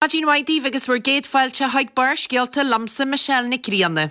Maidin mhaith daoibh agus bhur gcéad fáilte chuig Barrscéalta liomsa Michelle Nic Grianna.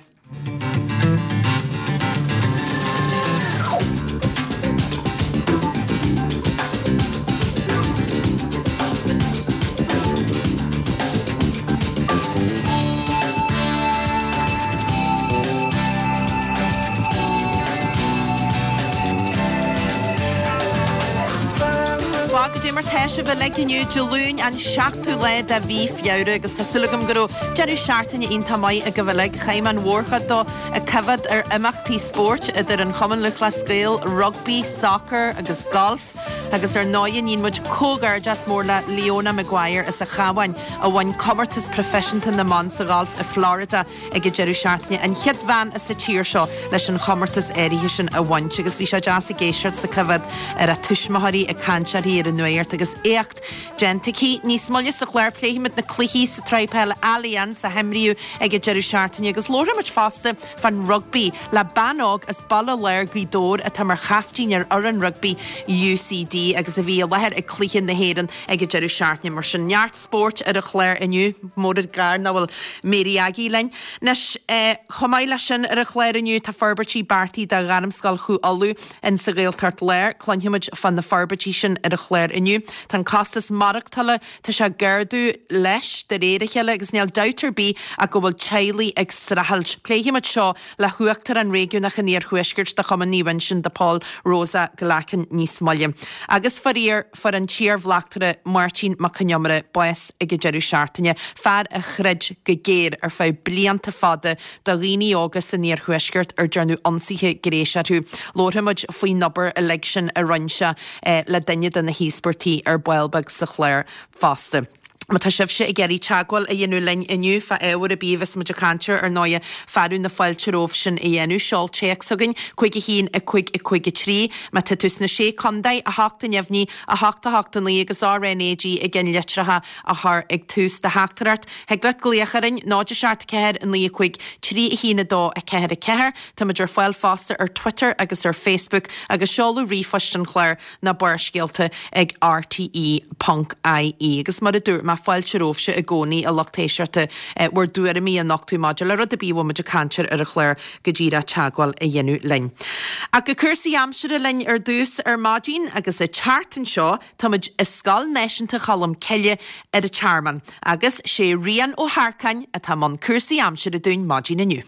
Bhuel, goidé mar tá sibh uilig inniu, Dé Luain an 7ú lá de mhí Feabhra agus tá súil agam go raibh deireadh seachtaine iontach maith agaibh uilig. Chaith mé an mhórchuid dó ag coimhéad ar imeachtaí spóirt idir an Chumann Lúthchleas Gael, rugbaí, sacar agus galf agus ar ndóighe níonn muid comhghairdeas mór le Leona Maguire as an Chabhán a bhain comórtas proifisiúnta na mban sa ghalf i Florida ag an deireadh seachtaine, an chéad bhean as an tír seo leis an chomórtas áirithe sin a bhaint agus bhí sé deas ag éisteacht 's ag coimhéad ar a tuismitheoirí ag caint uirthi ar an nuacht agus éacht déanta aici. Níos moille sa chlár pléifimid na cluichí sa tsraith peile Allianz a himríodh ag an deireadh seachtaine agus labharfaimid fosta fán rugbaí le bean óg as Baile Láir, Gaoth Dobhair atá mar chaiftín ar fhoireann rugbaí UCD agus a bhí i láthair ag cluiche na hÉireann ag an deireadh seachtaine. Mar sin, neart spóirt ar an chlár inniu, mór an gar nach bhfuil Mary Aggie linn. Anois, chomh maith leis sin ar an chlár inniu, tá forbairtí beartaithe do Ghairmscoil Chú Uladh in sa Ghaeltacht Láir. Cluinfimid fá na forbairtí sin ar an chlár inniu. Tá an costas maireachtála, tá sé ag ardú leis de réir a chéile agus níl dabht ar bith ach go bhfuil teaghlaigh ag streachailt. Pléifimid seo le hUachtarán Réigiúnach an Iarthuaiscirt de Chumann Naomh Uinseann de Pól, Rosa Glackin níos moille. Agus faraor, fuair an t-iarbhleachtaire Máirtín Mac Con Iomaire bás ag an deireadh seachtaine, fear a throid go géar ar feadh blianta fada do dhaoine óga san iarthuaisceart ar dearnadh ionsaithe gnéis orthu. Labharfaimid faoin obair uilig sin a rinne sé le duine de na híospartaigh ar ball beag sa chlár fosta. Má tá sibhse ag iarraidh teagmháil a dhéanamh linn inniu fá ábhar ar bith a bheas muid ag caint air, ar ndóighe, fearadh na fáilte romhaibh sin a dhéanamh. Seol téacs chugainn, 5 1 5 5 3. Má tá tú sna Sé Contae, 8 a neamhní, 8 8 9 agus RnaG i gceannlitreacha a chur ag tús do theachtaireacht. Thig leat glaoch orainn, 0 7 4 9 5 3 1 2 4 4. Táimid ar fáil fosta ar Twitter agus ar Facebook agus seoladh ríomhphoist an chláir ná Barrscéalta ag rte ponc ie. Agus mar a dúirt mé, fáilte romhaibhse i gcónaí, a lucht éisteachta, bhur dtuairimí a nochtadh maidir le rud ar bith a bhfuil muid ag caint air ar an chlár, go díreach teagmháil a dhéanamh linn. Ach go cúrsaí aimsire linn ar dtús ar maidin, agus an tseachtain seo táimid i Scoil Náisiúnta Cholm Cille ar an Tearmann, agus sé Rian Ó hEarcáin atá i mbun cúrsaí aimsire dúinn maidin inniu.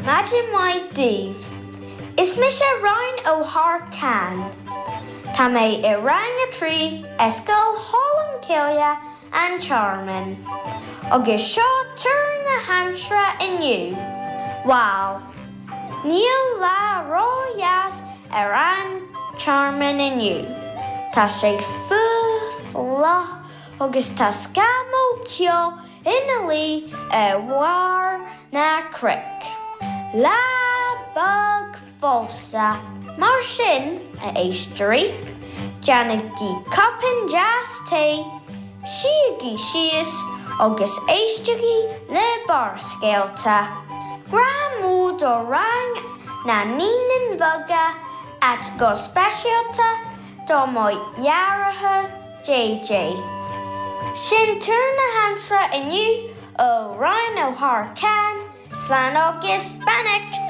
Maidin mhaith daoibh. Is mise Ryan Ó hEarcáin. Tá mé i rang a 3 i Scoil Cholm Cille, An Tearmann. Agus seo tuar na haimsire inniu. Bhal, níl lá ró-dheas ar An Tearmann inniu. Tá sé fuar fliuch agus tá scamall ceo ina luí ar bharr na cnoic. Lá bog fosta. Mar sin, a éisteoirí, déanaigí cupán deas tae, suígí síos agus éistigí le Barrscéalta. Grá mór do rang na Naíonáin Bheaga ach go speisialta do mo dheartháir JJ. Sin tuar na haimsire inniu ó Ryan Ó hEarcáin, slán agus beannacht!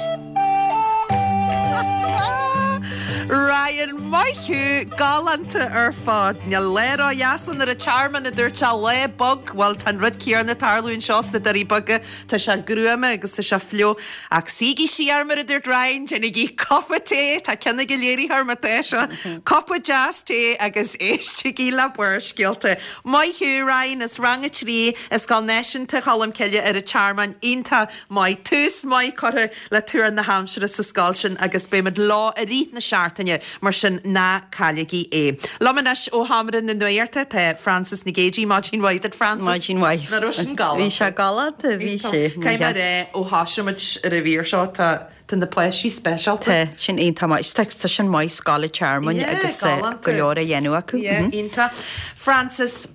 Ryan, maith thú! Galánta ar fad! Níl lá ró-dheas ann ar an Tearmann, a dúirt sé, lá bog! Bhuel, tá an rud céanna ag tarlú anseo sna Doirí Beaga. Tá sé gruama agus tá sé fliuch. Ach suígí siar, mar a dúirt Ryan, déanaigí cupa tae, tá ceann ag an léiritheoir má tá sé, cupa deas tae agus éistigí le Barrscéalta. Maith thú, Ryan, as Rang 3 i Scoil Náisiúnta Cholm Cille ar an Tearmann. Iontach maith. Tús maith curtha le tuar na haimsire sa scoil sin agus beimid leo i rith na seachtaine, mar sin ná cailligí é. Liom anois ó Sheomra na Nuachta tá Frances Nic Géadaigh. Maidin mhaith duit, Frances. Maidin mhaith. Nach raibh sin galánta? Bhí sé galánta, bhí sé. Caithfidh mé a rá, ó thosaigh muid ar an mhír seo, tá tá na páistí speisialta. Tá, sin iontach maith. Tá tá sin maith, Scoil an Tearmainn agus galánta. go leor á dhéanamh acu. Yeah, iontach. Frances.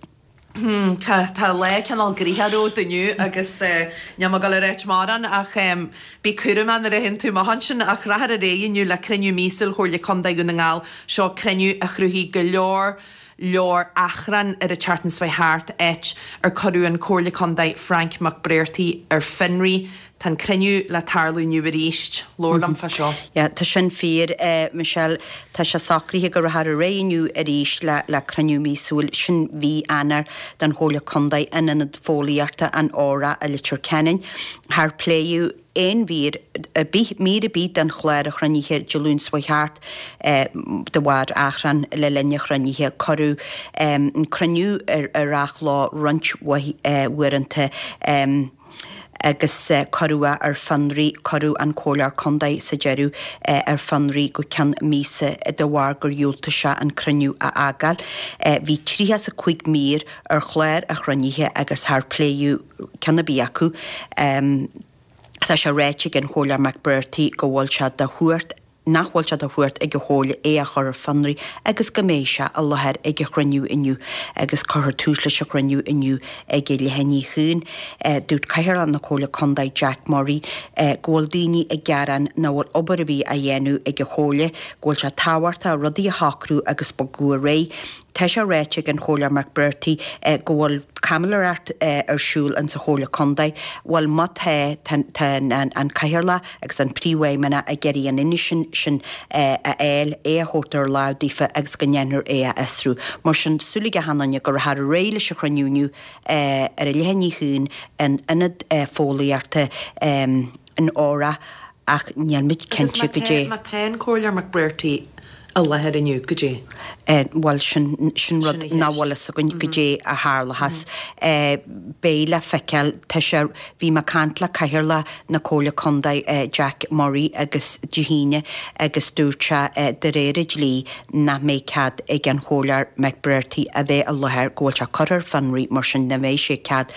Tá lá cineál gnoitheach romhat inniu agus níl mé ag dul a ráit mórán ach bí cúramach nuair a théann tú amach ansin ach rachfar ar aghaidh inniu le cruinniú míosúil Chomhairle Contae Dhún na nGall. Seo cruinniú a chruthaigh go leor leor achrann ar an tseachtain seo thart, áit ar cuireadh an Comhairle Contae Frank McBrearty ar fionraí. Tá an cruinniú le tarlú inniu arís. Labhair liom fá seo. Yeah, tá sin fíor, Michelle. Tá sé socraithe go rachfar ar aghaidh inniu arís le le cruinniú míosúil, sin mhí Eanáir, den Chomhairle Contae in Ionad Fóillíochta an Óra i Leitir Ceanainn. Char pléadh aon mhír ar bith, mír ar bith den chlár an chruinnithe Dé Luain seo chuaigh thart de bharr achrann le linn an chruinnithe. Cuireadh an cruinniú ar ar athló roinnt mhaith uaireanta. agus cuireadh é ar fionraí, cuireadh an Comhairleoir Contae sa deireadh ar fionraí go ceann míosa de bharr gur dhiúltaigh sé an cruinniú a fhágáil. Bhí 35 mír ar chlár an chruinnithe agus char pléadh ceann ar bith acu. Tá sé ráite ag an Chomhairleoir McBrearty go bhfuil sé de chumhacht nach bhfuil sé de chumhacht ag an Chomhairle é a chur ar fionraí agus go mbeidh sé i láthair ag an chruinniú inniu agus cuirfear tús leis an chruinniú inniu ag a leath i ndiaidh a haon. Dúirt Cathaoirleach na Comhairle Contae Jack Murray go bhfuil daoine ag gearán nach bhfuil obair ar bith á dhéanamh ag an Chomhairle, go bhfuil sé tábhachtach rudaí a shocrú agus bogadh ar aghaidh. Tá sé ráite ag an Chomhairleoir McBrearty go bhfuil caimiléireacht ar siúl in sa Chomhairle Contae. Bhuel má tá, tá an Cathaoirleach agus an Príomhfheidhmeannach ag iarraidh an fhianaise sin a fháil, é a thabhairt ar láimh daofa agus go ndéanfar é a fhiosrú. Mar sin, súil ag achan duine go rachfar ar aghaidh leis an chruinniú inniu ar a leath i ndiaidh a haon in Ionad Fóillíochta an Óra ach níl muid cinnte goidé. Agus má tá an Comhairleoir McBrearty i láthair inniu, goidé? Bhuel, sin, sin rud nach bhfuil fhios againn goidé a tharlóchas. Beidh le feiceáil. Tá sé, bhí mé ag caint le Cathaoirleach na Comhairle Contae, Jack Murray agus Dé hAoine agus dúirt sé de réir an dlí nach mbeidh cead ag an Chomhairleoir McBrearty a bheith i láthair, go bhfuil sé curtha ar fionraí mar sin nach mbeidh sé cead,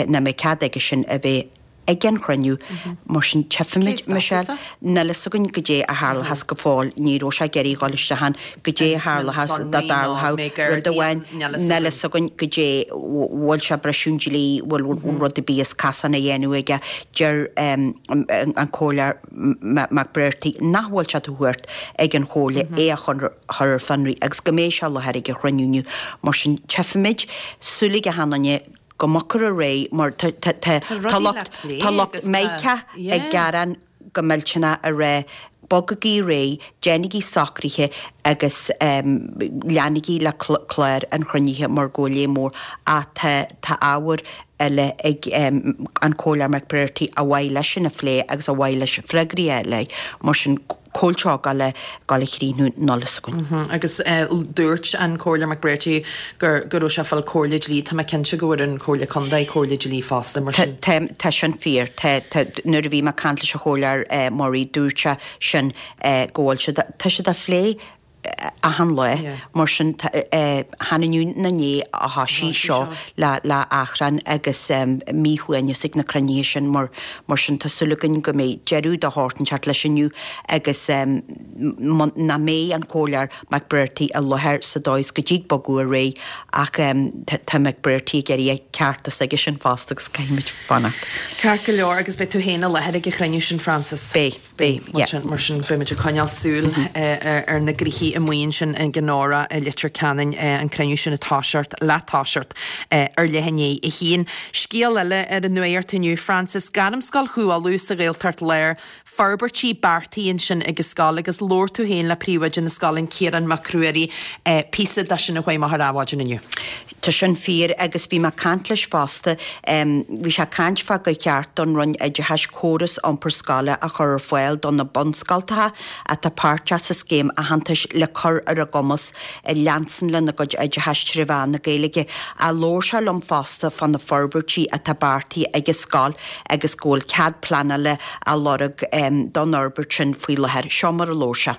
nach mbeidh cead aige sin a bheith ag an chruinniú. Mar sin, tchífimid, Michelle. Níl fhios againn goidé a tharlóchas go fóill. Ní raibh sé ag iarraidh dhul isteach ann. Goidé a tharlóchas dá dtarlódh rud amháin. Níl fhios againn goidé bhfuil sé ag briseadh an dlí, bhfuil rud ar bith as casán á dhéanamh aige. Deir an Comhairleoir McBrearty nach bhfuil sé de chumhacht ag an Chomhairle é a chur ar fionraí agus go mbeidh sé i láthair ag an chruinniú inniu. Mar sin, tchífimid. Súil ag achan duine go mbogfar ar aghaidh mar tá lucht tá lucht Meiceá ag gearán go millteanach ag rá bogaigí ar aghaidh, déanaigí socruithe agus leanaigí le clár an chruinnithe mar go bhfuil léim mór ach tá tá ábhar eile ag an Comhairleoir McBrearty ar mhaith leisean a phlé agus ar mhaith leis freagraí a fháil mar sin Cá bhfuil seo ag dul a gabháil a chríochnú níl fhios againn. Agus dúirt an Comhairleoir McBrearty go go raibh sé ag fáil comhairle dlí. Tá mé cinnte go bhfuair an Chomhairle Contae comhairle dlí fosta, mar sin. Tá, tá sin fíor. Tá, tá, nuair a bhí mé ag caint leis an Chomhairleoir Murray dúirt sé sin go bhfuil siad, tá siad á phlé achan lá, mar sin chan inniu ná inné a thoisigh seo le le achrann agus míshuaimhneas ag na cruinnithe sin mar mar sin tá súil againn go mbeidh deireadh de shórt inteacht leis inniu agus nach mbeidh an Comhairleoir McBrearty i láthair sa dóigh is go dtig bogadh ar aghaidh ach tá McBrearty ag iarraidh a chearta s'aigesean fosta agus caithfimid fanacht. Ceart go leor agus beidh tú féin i láthair ag an chruinniú sin Frances? Beidh. Beidh, yeah. Mar sin, beimid ag coinneáil súil ar na gnoithí amuigh ansin ag an Óra i Leitir Ceanainn, an cruinniú sin ag toiseacht, le toiseacht ar leath i ndiaidh a haon. Scéal eile ar an nuacht inniu, Frances, Gairmscoil Chú Uladh sa Ghaeltacht Láir, forbairtí beartaithe ansin ag an scoil agus labhair tú féin le príomhoide na scoile, an Ciarán Mac Ruairí, píosa de sin a chuaigh amach ar Adhmhaidin inniu. Tá sin fíor agus bhí mé ag caint leis fosta. Bhí sé ag caint fá gur cheart don Roinn Oideachais córas iompar scoile a chur ar fáil do na bunscoltacha atá páirteach sa scéim aitheantais le cur ar a gcumas leanstan lena gcuid oideachais tré mheán na Gaeilge. Labhair sé liom fosta fá na forbairtí atá beartaithe ag an scoil agus go bhfuil cead pleanála á lorg don fhorbairt sin faoi láthair. Seo mar a labhair sé.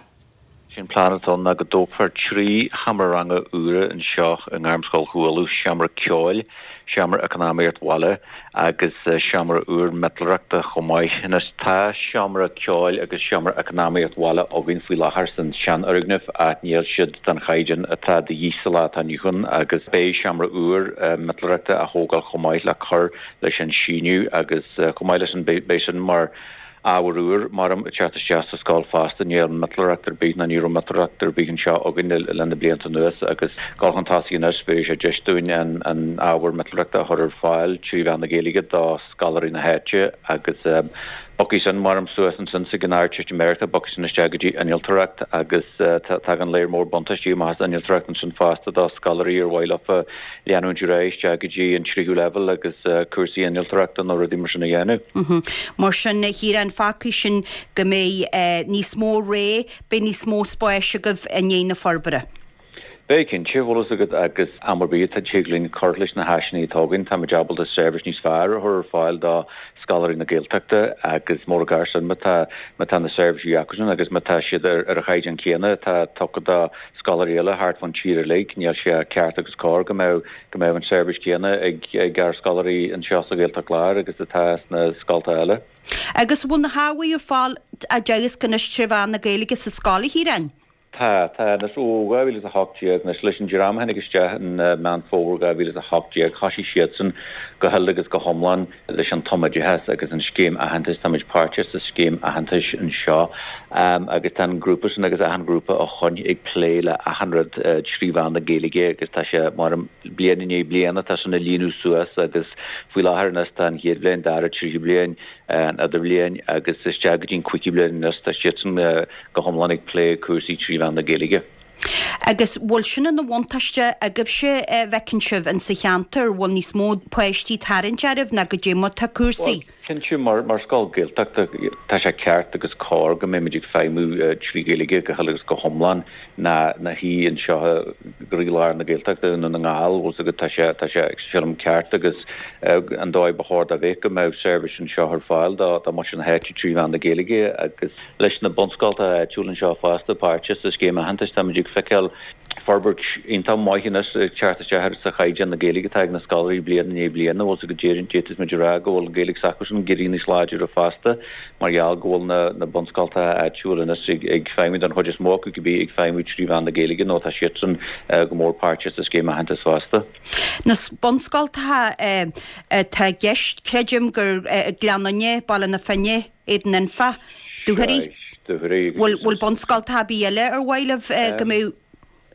Sé an plean atá ann ná go dtógfar 3 sheomra ranga úra anseo i nGairmscoil Chualann, seomra ceoil, seomra eacnamaíocht bhaile agus seomra úr miotalóireachta chomh maith. Anois tá seomra ceoil agus seomra eacnamaíocht bhaile againn faoi láthair san seanfhoirgneamh ach níl siad den chaighdeán atá de dhíth sa lá atá inniu ann agus beidh seomra úr miotalóireachta á thógáil chomh maith le cur leis an síneadh agus chomh maith leis sin beidh sin mar Ábhar úr, maram, ag teacht isteach sa scoil fosta. Níl miotalóireacht ar bith ná ní raibh miotalóireacht ar bith anseo againn le na blianta anuas agus dul chun tosaigh anois bheadh sé deis dúinn an ábhar miotalóireachta a chur ar fáil trí mheán na Gaeilge do scoláirí na háite agus bogfaidh sin, maram, suas ansin chuig an Ardteistiméireacht, bogfaidh sin isteach go dtí innealtóireacht agus tagann léar mór buntáistí amach as innealtóireacht ansin fosta do scoláirí ar mhaith leofa leanúint ar aghaidh isteach go dtí an tríú leibhéal agus cúrsaí innealtóireachta nó rudaí mar sin a dhéanamh. Mar sin, a Chiaráin, fágfaidh sin go mbeidh níos mó ré, beidh níos mó spáis agaibh i ndiaidh na forbartha. Beidh cinnte, bhfuil fhios agat, agus am ar bith atá tig linn cur leis na háiseanna atá againn, táimid ábalta seirbhís níos fearr a chur ar fáil do scoláirí na Gaeltachta agus mór an gar sin má tá má tá na seirbhísí acusan agus má tá siad ar ar an chaighdeán céanna atá tugtha do scoláirí eile thart fán tír uilig. Níl sé ceart agus cóir go mbeadh go mbeadh an seirbhís céanna ag ag ár scoláirí anseo sa Ghaeltacht Láir agus atá sna scolta eile. Agus an bhfuil na hábhair ar fáil á dteagasc anois tré mheán na Gaeilge sa scoil, a Chiaráin? Tá, tá. Anois ó 2018, anois leis an dream a tháinig isteach in Meán Fómhair 2018, thosaigh siadsan go huile agus go hiomlán leis an tumoideachas agus an scéim aitheantais, táimid páirteach sa scéim aitheantais anseo agus tá an grúpa sin agus achan ghrúpa ó shoin ag plé le achan rud trí mheán na Gaeilge agus tá sé mar bliain i ndiaidh bliana tá sin ag líonadh suas agus faoi láthair anois tá an chéad bhliain, dara, tríú bliain, an idirbhliain agus isteach go dtí an cúigiú bliain anois tá siadsan go hiomlán ag plé cúrsaí trí mheán na Gaeilge. Agus bhfuil sin ina bhuntáiste agaibhse a bhfeiceann sibh in sa cheantar, bhfuil níos mó páistí ag tarraingt oraibh ná goidé mar tá cúrsaí? Bhuel, cinnte, mar mar scoil Gaeltachta tá sé ceart agus cóir go mbeimid ag feidhmiú trí Ghaeilge go huile agus go hiomlán ná ná hí anseo i gcroílár na Gaeltachta i nDún na nGall, bhfuil 's agat, tá sé tá sé sílim ceart agus an dóigh ba chóir dá bheith go mbeadh seirbhís anseo ar fáil do do mhuintir na háite trí mheán na Gaeilge agus Leis na bunscoltacha áitiúla anseo fosta, páirteach sa scéim aitheantais, táimid ag feiceáil forbairt iontach maith anois ag teacht isteach sa chaighdeán na Gaeilge atá ag na scoláirí bliain i ndiaidh bliana, bhfuil 's agat d'fhéadfadh muid a rá go bhfuil an Ghaeilge s'acusan ag éirí níos láidre fosta mar gheall go bhfuil na na bunscoltacha áitiúla anois ag ag feidhmiú don chuid is mó acu cibé ag feidhmiú trí mheán na Gaeilge nó tá siadsan go mór páirteach sa scéim aitheantais fosta. Na bunscoltacha atá i gceist, creidim gur Gleann Fhinne, Baile na Finne, Éadan Anfa, Dúchoraidh. Bhfuil bhfuil bunscoltacha ar bith eile ar mhaith libh go mbeadh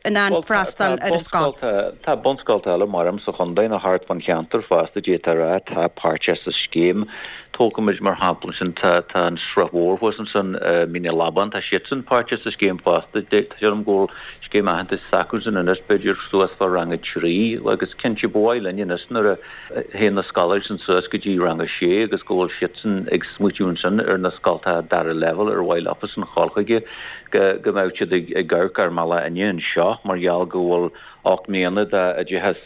in ann freastal ar an scoil? Tá bunscoltacha eile maram sa chontae nó thart fán cheantar fosta d'fhéadfá a rá atá páirteach sa scéim. Tógfaimid mar shampla ansin tá tá an Srath Mhór thuas ansin i Mín an Labáin tá siadsan páirteach sa scéim fosta. Sílim go bhfuil scéim aitheantais s'acusan anois b'fhéidir suas fá rang a 3 agus cinnte ba mhaith linn anois nuair a théann na scoláirí sin suas go dtí rang a sé agus go bhfuil siadsan ag smaoitiú ansin ar na scoltacha dara leibhéal ar mhaith leofasan dhul chuige, go mbeadh siad ag amharc ár mbealach inniu anseo mar gheall go bhfuil 8 mbliana d'oideachas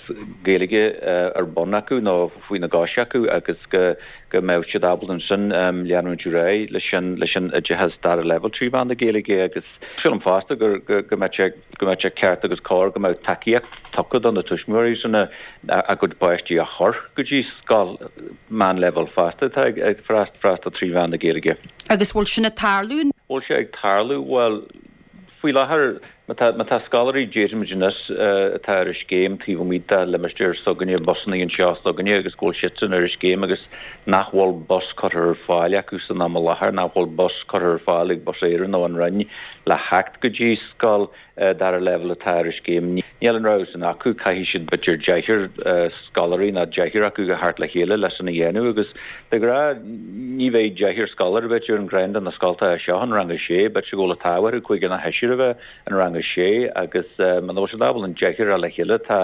Gaeilge ar bun acu nó faoina gcois acu agus go go mbeadh siad ábalta ansin leanúint ar aghaidh leis an leis an oideachas dara leibhéal trí mheán na Gaeilge agus Sílim fosta go mbeadh sé go mbeadh sé ceart agus cóir go mbeadh tacaíocht tugtha do na tuismitheoirí sin a gcuid páistí a chur go dtí scoil meánleibhéil fosta atá ag freastal trí mheán na Gaeilge. Agus bhfuil sin ag tarlú? Bhfuil sé ag tarlú? Bhuel, faoi láthair, má tá, má tá scoláirí, déarfaimid anois, atá ar an scéim taobh amuigh de limistéar s'againne, busanna anseo s'againne agus go bhfuil siadsan ar an scéim agus nach bhfuil bus curtha ar fáil acu san am i láthair, nach bhfuil bus curtha ar fáil ag Bus Éireann nó an Roinn le theacht go dtí scoil dara leibhéal atá ar an scéim. Níl an rogha sin acu, caithfidh siad b'fhéidir deichniúr scoláirí nó deichniúr acu a theacht le chéile le sin a dhéanamh agus de ghnáth ní bheidh deichniúr scoláire b'fhéidir in ceann de na scoltacha seo in rang a sé, b'fhéidir go bhfuil an t-ádh orthu cúigear nó seisear a bheith in rang a sé agus muna bhfuil siad ábalta an deichniúr a fháil le chéile tá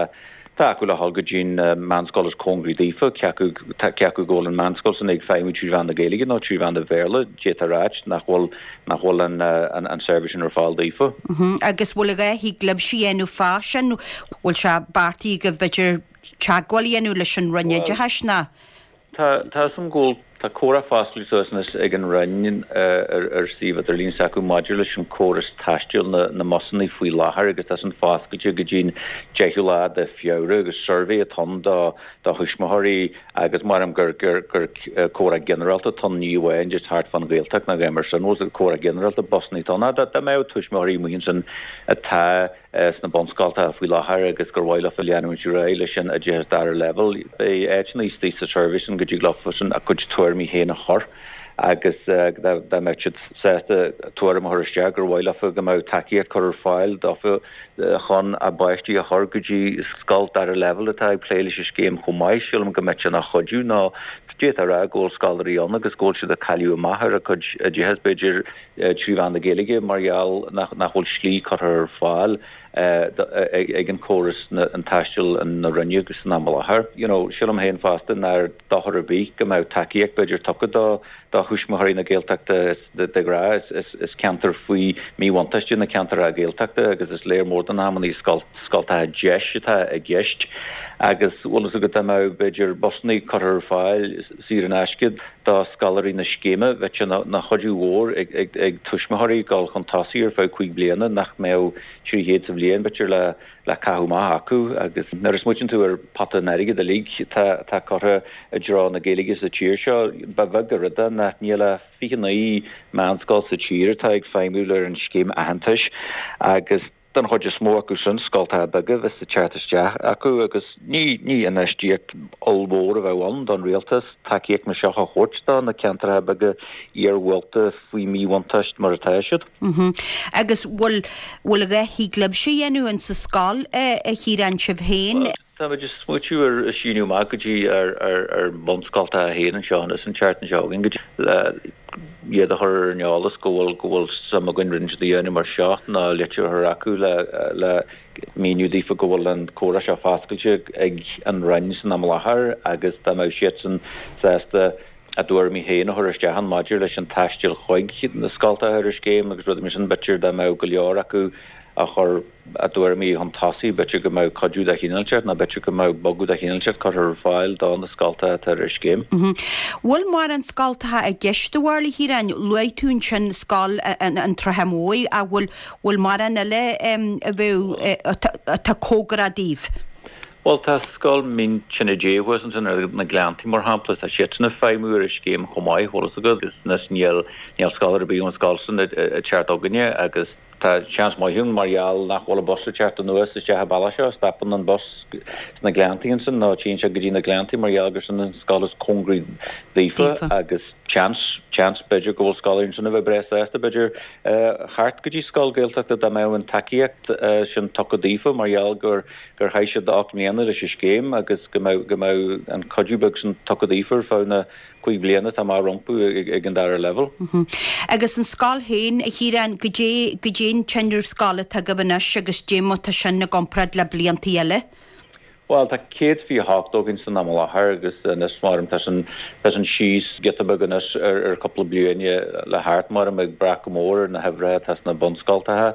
Tá acu le dhul go dtí'n meánscoil is cóngaraí daofa, cé acu cé acu go bhfuil an meánscoil san ag feidhmiú trí mheán na Gaeilge nó trí mheán an Bhéarla, d'fhéadfá a ráit nach bhfuil nach bhfuil an an seirbhís sin ar fáil daofa. Agus bhfuil a dhath thig libhse a dhéanamh fá sin? Bhfuil sé beartaithe agaibh b'fhéidir teagmháil a dhéanamh leis an Roinn Oideachais nó? Tá, tá 'fhios a'm go bhfuil. tá comhrá foscailte suas anois ag an Roinn ar suíomh idirlín s'acu maidir leis an córas taistil na mbusanna faoi láthair agus tá san foscailte go dtí'n 10ú lá de Feabhra agus suirbhé atá ann do thuismitheoirí agus maram gur gur comhrá ginearálta atá ann ní amháin just thart fán Ghaeltacht ná a dhath mar sin, bhfuil comhrá ginearálta busanna atá ann. Dá mbeadh tuismitheoirí amuigh ansin atá sna bunscoltacha faoi láthair agus gur mhaith leofa leanúint ar aghaidh leis an oideachas dara leibhéal. Beidh áiteanna istigh sa suirbhé sin go dtig leofasan a gcuid tuairimí féin a chur agus dá mbeadh siad sásta tuairim a chur isteach gur mhaith leofa go mbeadh tacaíocht curtha ar fáil dófa chun a bpáistí a chur go dtí scoil dara leibhéal atá ag plé leis an scéim chomh maith, sílim go mbeadh sé ina chuidiú nó d'fhéadfá a rá go bhfuil scoláirí ann agus go bhfuil siad ag cailleadh amach ar a gcuid oideachas b'fhéidir 3 mheán na Gaeilge mar gheall nach bhfuil slí curtha ar fáil ag an córas an taisteal na Roinne san am i láthair. You know, sílim féin fosta nár dochar ar bith go mbeadh tacaíocht b'fhéidir tugtha do do thuismitheoirí na Gaeltachta de ghnáth is ceantar faoi míbhuntáiste na ceantracha Gaeltachta agus is léir mór den amannaí scoltacha deis atá i gceist agus bhfuil fhios agat dá mbeadh b'fhéidir busannaí curtha ar fáil saor in aisce do scoláirí na scéime, bheadh sé ina chuidiú mhór ag tuismitheoirí dul chun tosaigh ar feadh 5 bliana nach mbeadh 300 sa bhliain b'fhéidir le caitheamh amach acu agus nuair a smaoitíonn tú ar pota an airgid uilig atá curtha i dtreo na Gaeilge sa tír seo, ba bheag an rud é nach níl ach 29 meánscoil sa tír atá ag feidhmiú ar an scéim aitheantais agus Den chuid is mó acu sin, scoltacha beaga a bheas ag teacht isteach acu agus ní ní infheistíocht ollmhór a bheadh ann don rialtas tacaíocht mar seo a thabhairt do na ceantracha beaga iarghúlta faoi mhíbhuntáiste mar atá siad. Agus bhfuil bhfuil a dhath thig libhse a dhéanamh in sa scoil a Chiaráin sibh féin? Táimid ag smaoitiú ar síniú amach go dtí ár mbunscoltacha féin anseo anois an tseachtain seo chugainn go dtí le iad a chur ar an eolas go bhfuil go bhfuil suim againn rud inteacht a dhéanamh mar seo nó litir a chur acu le le míniú daofa go bhfuil an comhrá seo foscailte ag an Roinn san am i láthair agus dá mbeadh siadsan sásta a dtuairimí féin a chur isteach ann maidir leis an taisteal chuig na scoltacha ar an scéim agus rudaí mar sin b'fhéidir dá mbeadh go leor acu a chuir a dtuairimí chun tosaigh, b'fhéidir go mbeadh cuidiú de chineál inteacht nó b'fhéidir go mbeadh bogadh de chineál inteacht curtha ar fáil do na scoltacha atá ar an scéim. Bhfuil mórán scoltacha i gceist do bharúil, a Chiaráin? Luaigh tú ansin scoil an tSratha Mhóir ach bhfuil bhfuil mórán eile a bheadh atá cóngarach daoibh? Bhuel tá scoil Mín Tine Dé thuas ansin ar na Gleanntaí mar shampla, tá siadsan ag feidhmiú ar an scéim chomh maith, bhfuil fhios agat, agus anois níl níl scoláire ar bith ón scoil sin ag teacht chugainne agus Tá seans maith ann mar gheall nach bhfuil an bus ag teacht anuas isteach an bealach seo, stopann an bus sna Gleanntaí ansin nó téann sé go dtí na Gleanntaí mar gheall gur sin an scoil is cóngaraí daofa agus seans, seans b'fhéidir go bhfuil scoláirí ansin a bheith breá sásta b'fhéidir theacht go dtí scoil Gaeltachta dá mbeadh an tacaíocht sin tugtha daofa mar gheall gur gur chaith siad 8 mbliana leis an scéim agus go mbeadh go mbeadh an cuidiú beag sin tugtha daofa ar feadh na 5 bliana atá amach rompu ag an dara leibhéal. Agus an scoil féin, a Chiaráin, goidé, goidé an tinreamh scoile atá agaibh anois agus dé mar tá sin i gcomparáid le bliantaí eile? Bhuel, tá 128 againn san am i láthair agus anois maram tá sin, tá sin síos giota beag anois ar, ar chúpla bliain le thart maram ag brath go mór ar na huimhreacha atá sna bunscoltacha.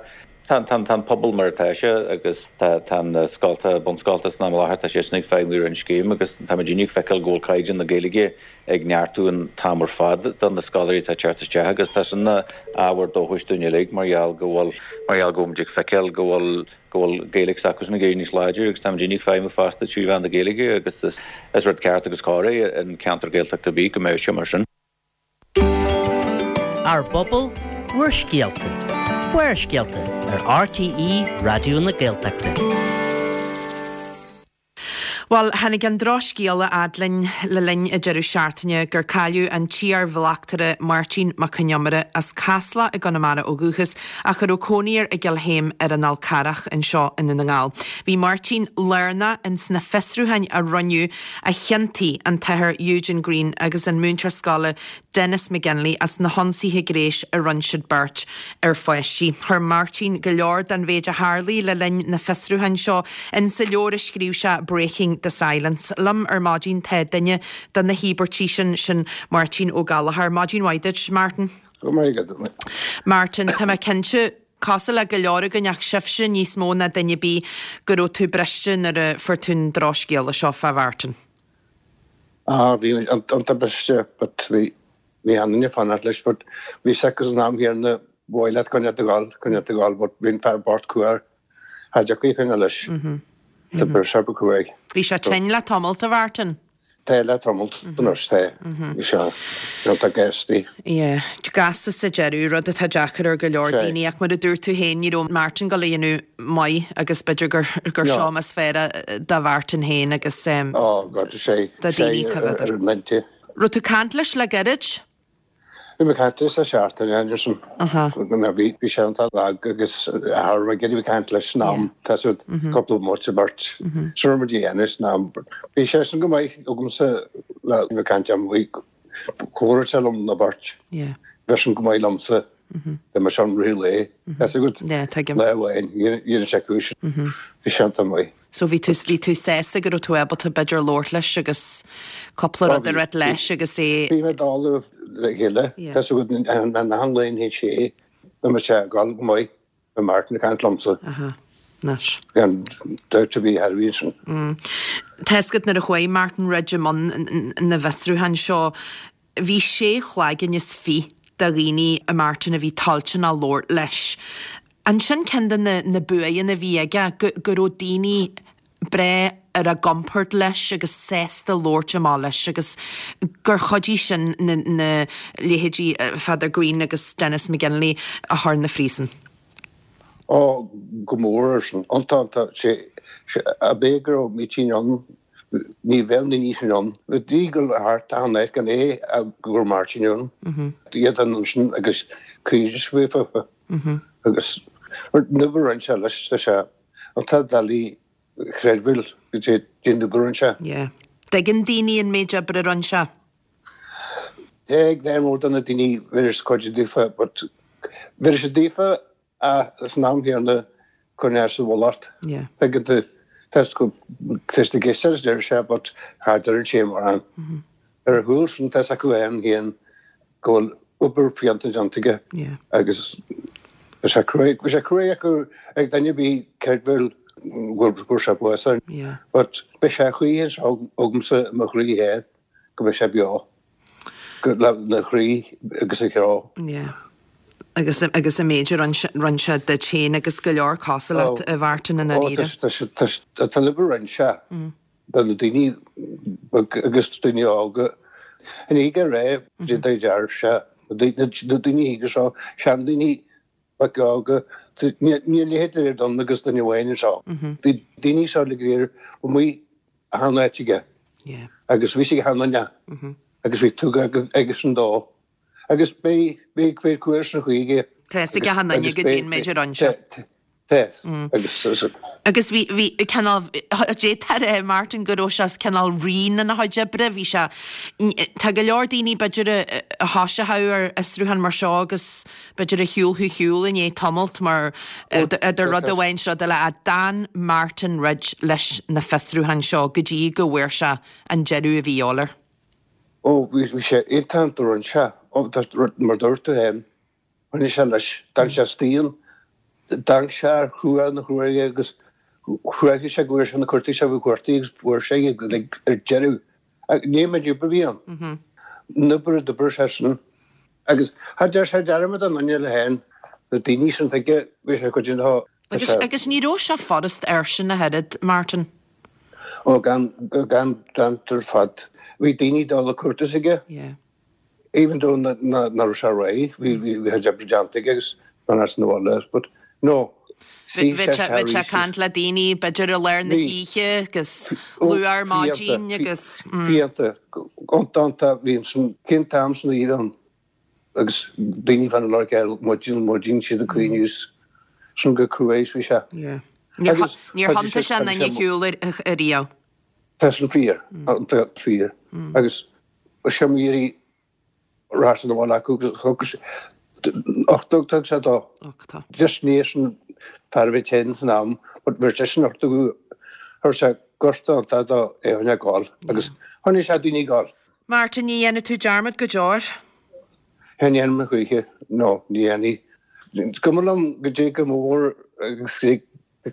Tá, tá, tá an pobal mar atá sé agus tá, tá na scoltacha, bunscoltacha san am i láthair, tá siad sin ag feidhmiú ar an scéim agus táimid ag feiceáil go bhfuil caighdeán na Gaeilge ag neartú an t-am ar fad do na scoláirí atá ag teacht isteach agus tá sin ina ábhar dóchais dúinn uilig mar gheall go bhfuil, mar gheall go bhfuilimid ag feiceáil go bhfuil, go bhfuil Gaeilge s'acusan ag éirí níos láidre agus táimid ag feidhmiú fosta trí mheán na Gaeilge agus is, is rud ceart agus cóir é in ceantar Gaeltachta ar bith go mbeadh sé mar sin. Ár bPobal, Bhur Scéalta, Barrscéalta ar RTÉ Raidió na Gaeltachta. Bhuel, tháinig an drochscéala a fhad linn le linn an deireadh seachtaine gur cailleadh an t-iar-bhleachtaire Máirtín Mac Con Iomaire, as Casla i gConamara ó dhúchas ach a raibh cónaí air i gCill Chéim ar an Fhál Carrach anseo i nDún na nGall. Bhí Máirtín lárnach ins na fiosrúcháin a rinneadh a chiontaigh an t-athair Eugene Greene agus an múinteoir scoile Denis McGinley as na hionsaithe gnéis a rinne siad beirt ar pháistí. Chuir Máirtín go leor den mhéid a tharlaigh le linn na fiosrúcháin seo insa leabhar a scríobh sé Breaking the Silence. Liom ar maidin tá duine de na híobairtigh sin, sin Máirtín Ó Gallchóir. Maidin mhaith duit, Martin. Go raibh maith agat. Martin, tá mé cinnte, cosúil le go leor againn ach sibhse níos mó ná duine ar bith, go raibh tú briste nuair a fuair tú an drochscéala seo fá Mhartin. Ah bhí an tubaiste but bhí bhí an duine fanacht leis but bhí sick san am chéanna mhaith leat coinneáil ag gabháil coinneáil ag gabháil but bhí an fear bocht cruaidh cha dtiocfaí a choinneáil leis. Tá sé ba cruaidh. Bhí sé tinn le tamalt a Mhartin. Tá le tamalt anois tá. Bhí sé iontach gasta. Yeah, gasta sa deireadh, rud atá deacair ar go leor daoine ach mar a dúirt tú féin ní raibh Martin ag dul a dhéanamh maith agus b'fhéidir gur gur seo is fearr do Mhartin féin agus Oh God, sé do sé daoine coimhéadar. ar an mbinse. Raibh tú ag caint leis le gairid? Bhí mé ag caint leis le seachtain Anderson. Bhí bhí sé iontach lag agus cha raibh mé ag iarraidh caint leis san am tá a fhios agat cúpla bomaite beirt. Sin raibh muid a dhéanamh san am. Bhí sé sin go maith agamsa le bheith ag caint am bhí chomhrá sé liom na beirt. Bhí sin go maith liomsa. Bhí mé sin rith lae. Tá a fhios agat lá amháin dhéanann sé cúis. Bhí sé iontach maith. So bhí tú, bhí tú sásta go raibh tú ábalta b'fhéidir labhairt leis agus cúpla rud a ráit leis agus é. Bhí mé dála le chéile, tá a fhios agat an an lae théis sé, bhí mé sé ag dul go maith, bhí Martin ag caint liomsa. Aha, anois. Gan dabht ar bith thar bhí ansin. Tá a fhios agat nuair a chuaigh Martin Ridge i mbun na bhfiosrúchán seo, Bhí sé cloigeann is fiche de dhaoine a Martin a bhí toilteanach labhairt leis. An sin ceann de na na buaitheanna a bhí aige, go go raibh daoine breá ar a gcompord leis agus sásta labhairt amach leis agus gur chuidigh sin na na leithéidí Pheadar Greene agus Denis McGinley a chur 'na phríosún. Ó, go mór ar sin. Iontach, iontach. Sé, sé, ab é go raibh Mítín ann Ní bheadh na nithe sin ann. Bhí go thart achan áit gan é go raibh Máirtín ann. Iad ansin agus caoineadh faofa agus an obair a rinne sé leis tá sé an t-ádh doiligh a chreidbheáil go dtí an obair a rinne sé. Yeah. Tuigeann daoine an méid oibre a rinne sé. Tá ag lear mór de na daoine bheiris cuid daofa but bheiris daofa Ach san am chéanna cuireann sé sa mhullach. Tuigeann tú, tá sé ag éisteacht a deir sé but cha deireann sé mórán. Ar a chúl sin tá a fhios acu féin féin go bhfuil obair fiúntach déanta aige agus bhí sé cruaidh, bhí sé cruaidh acu ag duine ar bith creidbheáil go bhfuil sé básaithe. But beidh sé choíche anseo agamsa i mo chroí féin go mbeidh sé beo. Lena chroí agus a cheo. Yeah. Agus agus an méid a rinne sé duit féin agus go leor cosúil leat a Mhartin i ndáiríre. Tá tá an obair a rinne sé do na daoine agus daoine óga. An oíche ré deir sé na daoine óga seo, seandaoine beaga óga, níl a leithéid de don agus duine amháin anseo. Bhí daoine seo le go léir amuigh achan áit aige agus bhí sé ag achan duine agus bhí tugtha aigesean dó agus beidh beidh beidh cur san chuige. Tá a fhios ag achan duine goidé an méid a rinne sé. Tá agus Agus bhí bhí cineál d'fhéadfá a rá Martin go raibh sé cineál righin ina chuid oibre bhí sé tá go leor daoine b'fhéidir a a thoiseochadh ar fhiosrúchán mar seo agus B'fhéidir a shiúlfadh ar shiúl i ndiaidh tamalt mar idir rud amháin is rud eile ach d'fhan Martin Ridge leis na fiosrúcháin seo go dtí go bhfuair sé an deireadh a bhí a dhíobháil air. Ó, bhí sé iontach do rinne sé, mar dúirt tú féin, choinnigh sé leis, d'fhan sé istigh ann, d'fhan sé ar chrua na cruaidhe agus chruaigh sé go bhfuair sé na cuartaigh sé bhí cuartaigh agus fuair sé iad ar deireadh. Ní an méid oibre a bhí ann. An obair a d'oibir sé sin. Agus cha deir sé dearmad an duine eile féin, na daoine sin tuige, bhí sé cuid den Agus, agus ní raibh sé furast airsean ach oiread, Martin. Ó, gan, gan dabht ar fad. Bhí daoine ag dul ag cuartú aige. Yeah. Even though na, na, nach raibh sé réidh, bhí, bhí, bhí a chuid oibre déanta aige agus fan sa bhaile, but no. Bhí sé ag caint le daoine b'fhéidir i lár na hoíche agus luath ar maidin agus. Fiánta, iontach, bhí an cén t-am san oíche ann agus daoine fan lorg ar maidin, maidin siad ag caoineadh is sin go cruaidh bhí sé. Níor thiontaigh sé aon duine ar shiúl ariamh. Tá sin fíor, iontach fíor agus sé mo iarraidh Rath san bhaile acu agus thug sé uchtdóg thug sé dó. Just ní sin fear a bhí tinn san am but bhí sé sin uchtdóg chuir sé gorta iontu dó é a choinneáil ag gabháil agus choinnigh sé daoine ag gabháil. Martin, ní dhéanfaidh tú dearmad go deo air. Cha ndéanfaidh mé choíche, no, ní dhéanfaidh. Is cuma liom goidé chomh mór agus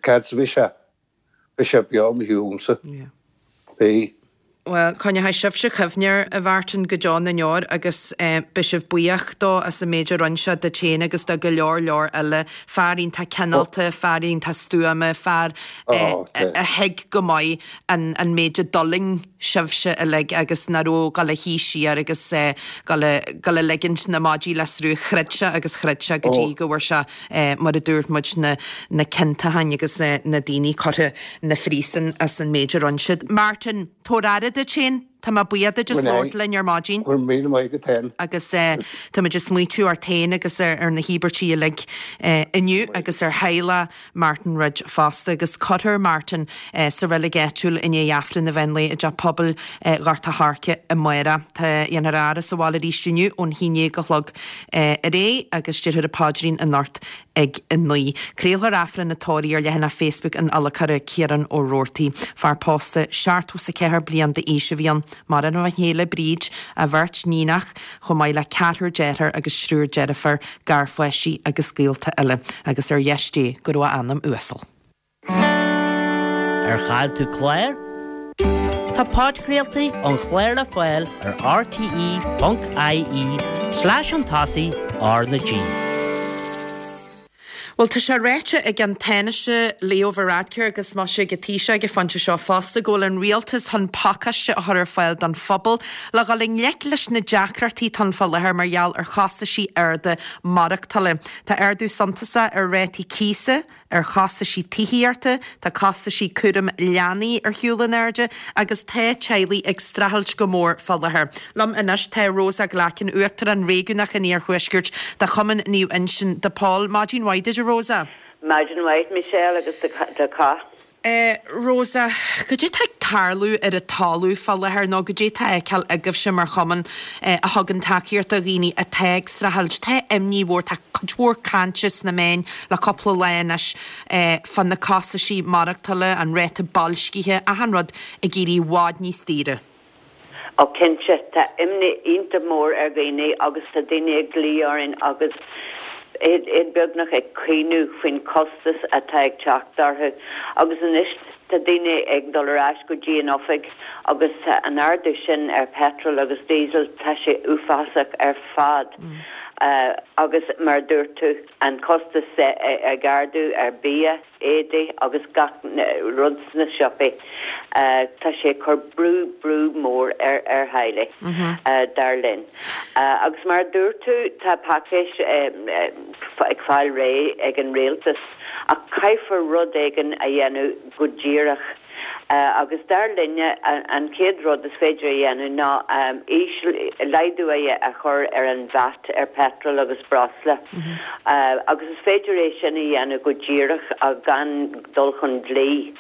cad is a bhí sé. Beidh sé beo i mo shiúlsa. Beidh. Bhuel, coinneoidh sibhse cuimhne air, a Mhartin, go deo na ndeor agus beidh sibh buíoch dó as an méid a rinne sé duit féin agus do go leor leor eile. Fear iontach cineálta, fear iontach stuama, fear a thuig go maith an méid a d'fhulaing sibhse uilig agus nach raibh ag dul a shuí siar agus dul a ligint na maidí le sruth. Throid sé agus throid sé go dtí go bhfuair sé, mar a dúirt muid, na ciontacháin agus na daoine curtha 'na phríosún as an méid a rinne siad. Martin, tabhair aire duit féin. Tá mé buíoch duit as labhairt linn ar maidin. Go raibh míle maith agat féin. Agus táimid ag smaoitiú ort féin agus ar na híobairtí uilig inniu agus ar theaghlach Martin Ridge fosta. Agus cuirfear Martin sa reilig áitiúil i ndiaidh Aifreann an mheán lae i dTeach Pobail Ghort a' Choirce amárach. Tá dhéanfar a fhaire sa bhaile arís inniu ón 11 a chlog ar aghaidh agus déarfar an paidrín anocht ag 9. Craolfar Aifreann an tórraimh ar leathanach Facebook an fhile Ciarán Ó Roartaigh. Fear pósta, 74 bliain d'aois a bhí ann. Maireann a chéile Bríd, a bheirt níonach, chomh maith le ceathrar dearthár agus triúr deirfiúr, garpháistí agus gaolta eile, agus ar dheis Dé go raibh a anam uasal. Ar chaill tú clár? Tá podchraoltaí an chláir le fáil ar rte.ie slash chun tosaigh R na G. Bhuel, tá sé ráite ag an Tánaiste Leo Varadkar agus mise ag an Taoiseach ag an phointe seo fosta go bhfuil an rialtas chun pacáiste a chur ar fáil don phobal le dhul i ngleic leis na deacrachtaí atá ann fá láthair mar gheall ar chostaisí arda maireachtála. Tá ardú suntasach ar rátaí cíosa, ar chostaisí tithíochta, tá costaisí cúram leanaí ar shiúl in airde agus tá teaghlaigh ag streachailt go mór fá láthair. Liom anois tá Rosa Glackin, Uachtarán Réigiúnach an Iarthuaiscirt de Chumann Naomh Uinseann de Pól. Maidin mhaith duit a Rosa. Maidin mhaith Michelle agus do chách. Rosa, Cad é tá ag tarlú ar an talamh fá láthair nó cad é tá á fheiceáil agaibhse mar chumann a thugann tacaíocht do dhaoine atá ag streachailt? Tá imní mhór, tá cuid mhór cainte sna meáin le cúpla lá anois fá na costaisí maireachtála, an ráta boilscithe, achan rud ag éirí i bhfad níos daoire. Ó cinnte, tá imní iontach mór ar dhaoine agus tá daoine ag glaoch orainn agus iad beagnach ag caoineadh faoin chostas atá ag teacht orthu. Agus anois tá daoine ag dul ar ais go dtí an oifig agus tá an ardú sin ar petrol agus diesel, tá sé uafásach ar fad. Agus mar a dúirt tú, an costas ag ardú ar bia. éadaí agus gach rud sna siopaí. Tá sé ag cur brú, brú mór ar ar theaghlaigh, dar linn. Agus mar a dúirt tú, tá paicéis ag fáil réidh ag an rialtas ach caithfear rud éigin a dhéanamh go díreach. Agus dar linne, an chéad rud is féidir a dhéanamh ná íseal, laghdú a chur ar an VAT ar petrol agus breosla. Agus is féidir é sin a dhéanamh go díreach gan dul chun dlí.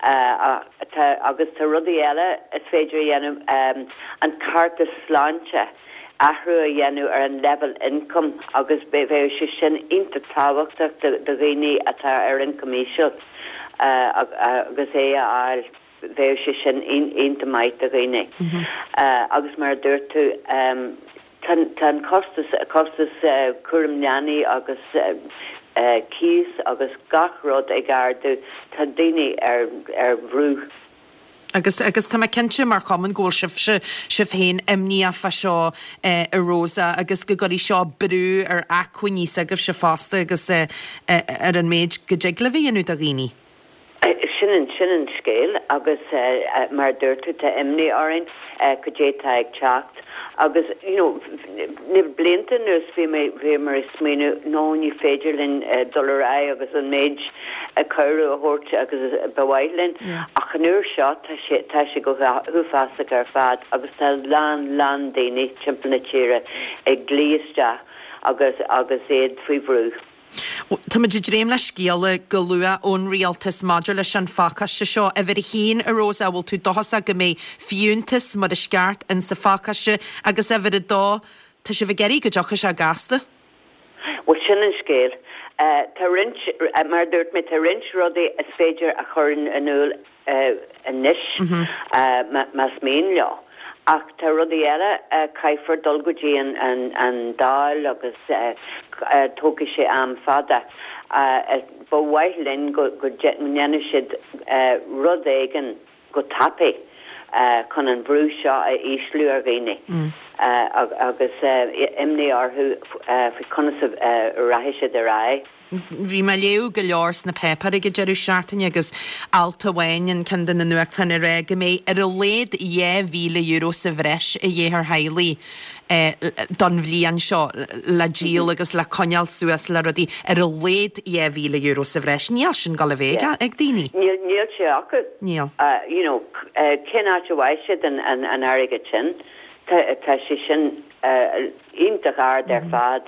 Agus tá rudaí eile is féidir a dhéanamh, an cárta sláinte, athrú a dhéanamh ar an level income agus bheadh sé sin iontach tábhachtach do dhaoine atá ar ioncam íseal agus é a fháil, bheadh sé sin iontach maith do dhaoine. Agus mar a dúirt tú, tá an costas, costas cúram leanaí agus cíos agus gach rud ag ardú, tá daoine ar bhrú. Agus, agus tá mé cinnte mar chumann go bhfuil sibhse, sibh féin imníoch fá seo a Rosa agus go gcuirfidh seo brú ar acmhainní s'agaibhse fosta agus ar an méid go dtig libh a dhéanamh do dhaoine. Sin an, sin an scéal agus mar a dúirt tú tá imní orainn cad é tá ag teacht. Agus, you know, na blianta anuas bhí mé, bhíomar ag smaoineamh, no, ní féidir linn dul ar aghaidh agus an méid cabhrú a thabhairt agus ba mhaith linn. Ach an uair seo tá sé, tá sé go huafásach ar fad agus tá lán, lán daoine timpeall na tíre ag glaoch isteach agus, agus iad faoi bhrú. Táimid ag dréim le scéala go luath ón Rialtas maidir leis an phacáiste seo. Uimhir a haon, a Rosa, an bhfuil tú dóchasach go mbeidh fiúntas mar is ceart in sa phacáiste agus uimhir a dó, tá sibh ag iarraidh go dtiocfaidh sé gasta? Bhuel, sin an scéal. Tá roinnt, mar a dúirt mé, tá roinnt rudaí is féidir a chur in iúl anois, más mian leo. Ach tá rudaí eile, caithfear dul go dtí an Dáil agus tógfaidh sé am fada. Ba mhaith linn go ndéanfadh siad rud éigin go tapaidh. chun an brú seo a ísliú ar dhaoine agus imní orthu faoi conas a rachaidh siad ar aghaidh. Bhí mé ag léamh go leor sna páipéir ag an deireadh seachtaine agus alt amháin in ceann de na nuachtáin ag rá go mbeidh ar a laghad €2,000 sa bhreis a dhíth ar theaghlaigh don bhliain seo le díol agus le coinneáil suas le rudaí, ar a laghad €2,000 sa bhreis. Níl sin ag dul a bheith ag daoine. Níl sé acu. Níl. You know, cén áit a bhfaighidh siad an airgead sin? Tá sé sin iontach ard ar fad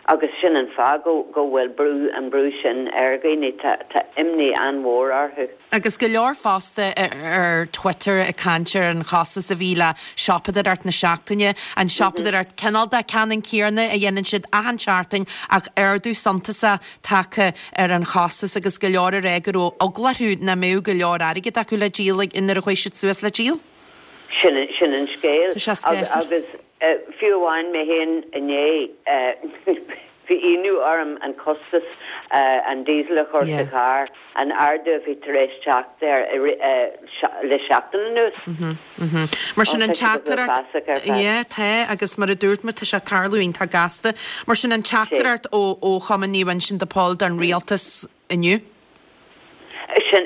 agus sin an fáth go bhfuil brú, an brú sin ar dhaoine. Tá imní an-mhór orthu. Agus go leor fosta ar Twitter ag caint ar an chostas a bhí le siopadóireacht na seachtaine, an siopadóireacht cineál de ceannann céanna a dhéanann siad achan seachtain ach ardú suntasach tagtha ar an chostas agus go leor ag rá go raibh eagla orthu nach mbeadh go leor airgid acu le díol nuair a chuaigh siad suas le díol. Sin sin an scéal. Tá sé scáfar. Agus fiú amháin mé féin inné, bhí ionadh orm an costas an diesel a chur sa charr, an ardú a bhí tar éis teacht air le seachtain anuas. Mar sin an teachtaireacht, yeah, tá, agus mar a dúirt mé, tá sé ag tarlú iontach gasta. Mar sin an teachtaireacht ó Chumann Naomh Uinseann de Pól don rialtas inniu. Sin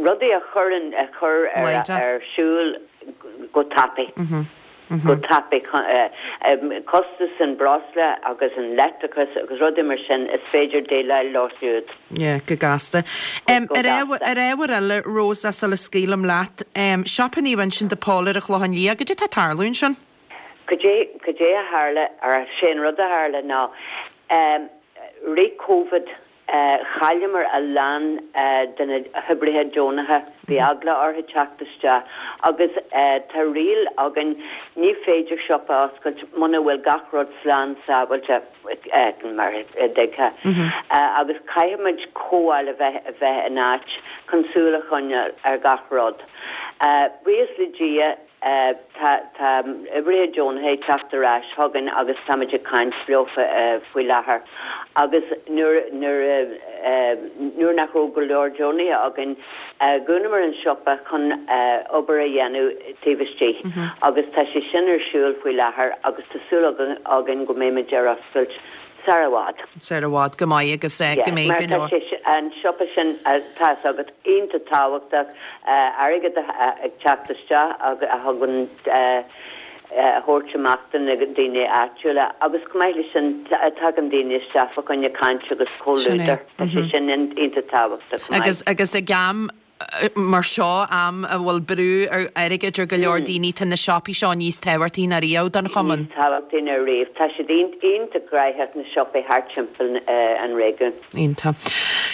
rudaí a chuireann, a chur ar siúl go tapaidh, go tapaidh. Costas an breosla agus an leictreachas agus rudaí mar sin, is féidir déileáil leo siúd. Yeah, go gasta. Ar ábhar eile, Rosa, sula scaoilim leat, Siopa Naomh Uinseann de Pól ar an Chlochán Liath, goidé tá ag tarlú ansin? Goidé, goidé a tharla, or sé an rud a tharla ná, rith Covid, Chailleamar a lán de na hoibrithe deonacha, bhí eagla orthu teacht isteach agus tá riail againn, ní féidir siopa a oscailt muna bhfuil gach rud slán sábháilte, mar a dtuigfeá, agus caithfimid cothabháil a bheith a bheith in áit chun súil a choinneáil ar gach rud. Buíochas le Dia, Tá oibrithe deonacha ag teacht ar ais chugainn agus táimid ag caint leo faoi láthair agus nuair nuair nach raibh go leor deonaithe againn, dhúnamar an siopa chun obair a dhéanamh taobh istigh agus tá sé sin ar siúl faoi láthair agus tá súil againn go mbeimid ar oscailt Sar i bhfad. Sar i bhfad, go maith agus go mbeidh go leor. Mar tá sé, an siopa sin, tá fhios agat, iontach tábhachtach, airgead ag teacht isteach a thugann, a thabhairt amach do na daoine áitiúla agus chomh maith leis sin tagann daoine isteach fá choinne caint agus comhluadar, tá sé sin iontach tábhachtach chomh maith. Agus ag am mar seo, am a bhfuil brú ar airgead ar go leor daoine, tá na siopaí seo níos tábhachtaí ná riamh don chumann. Níos tábhachtaí ná riamh. Tá siad iontach gnaitheach, na siopaí thart timpeall an réigiúin. Iontach.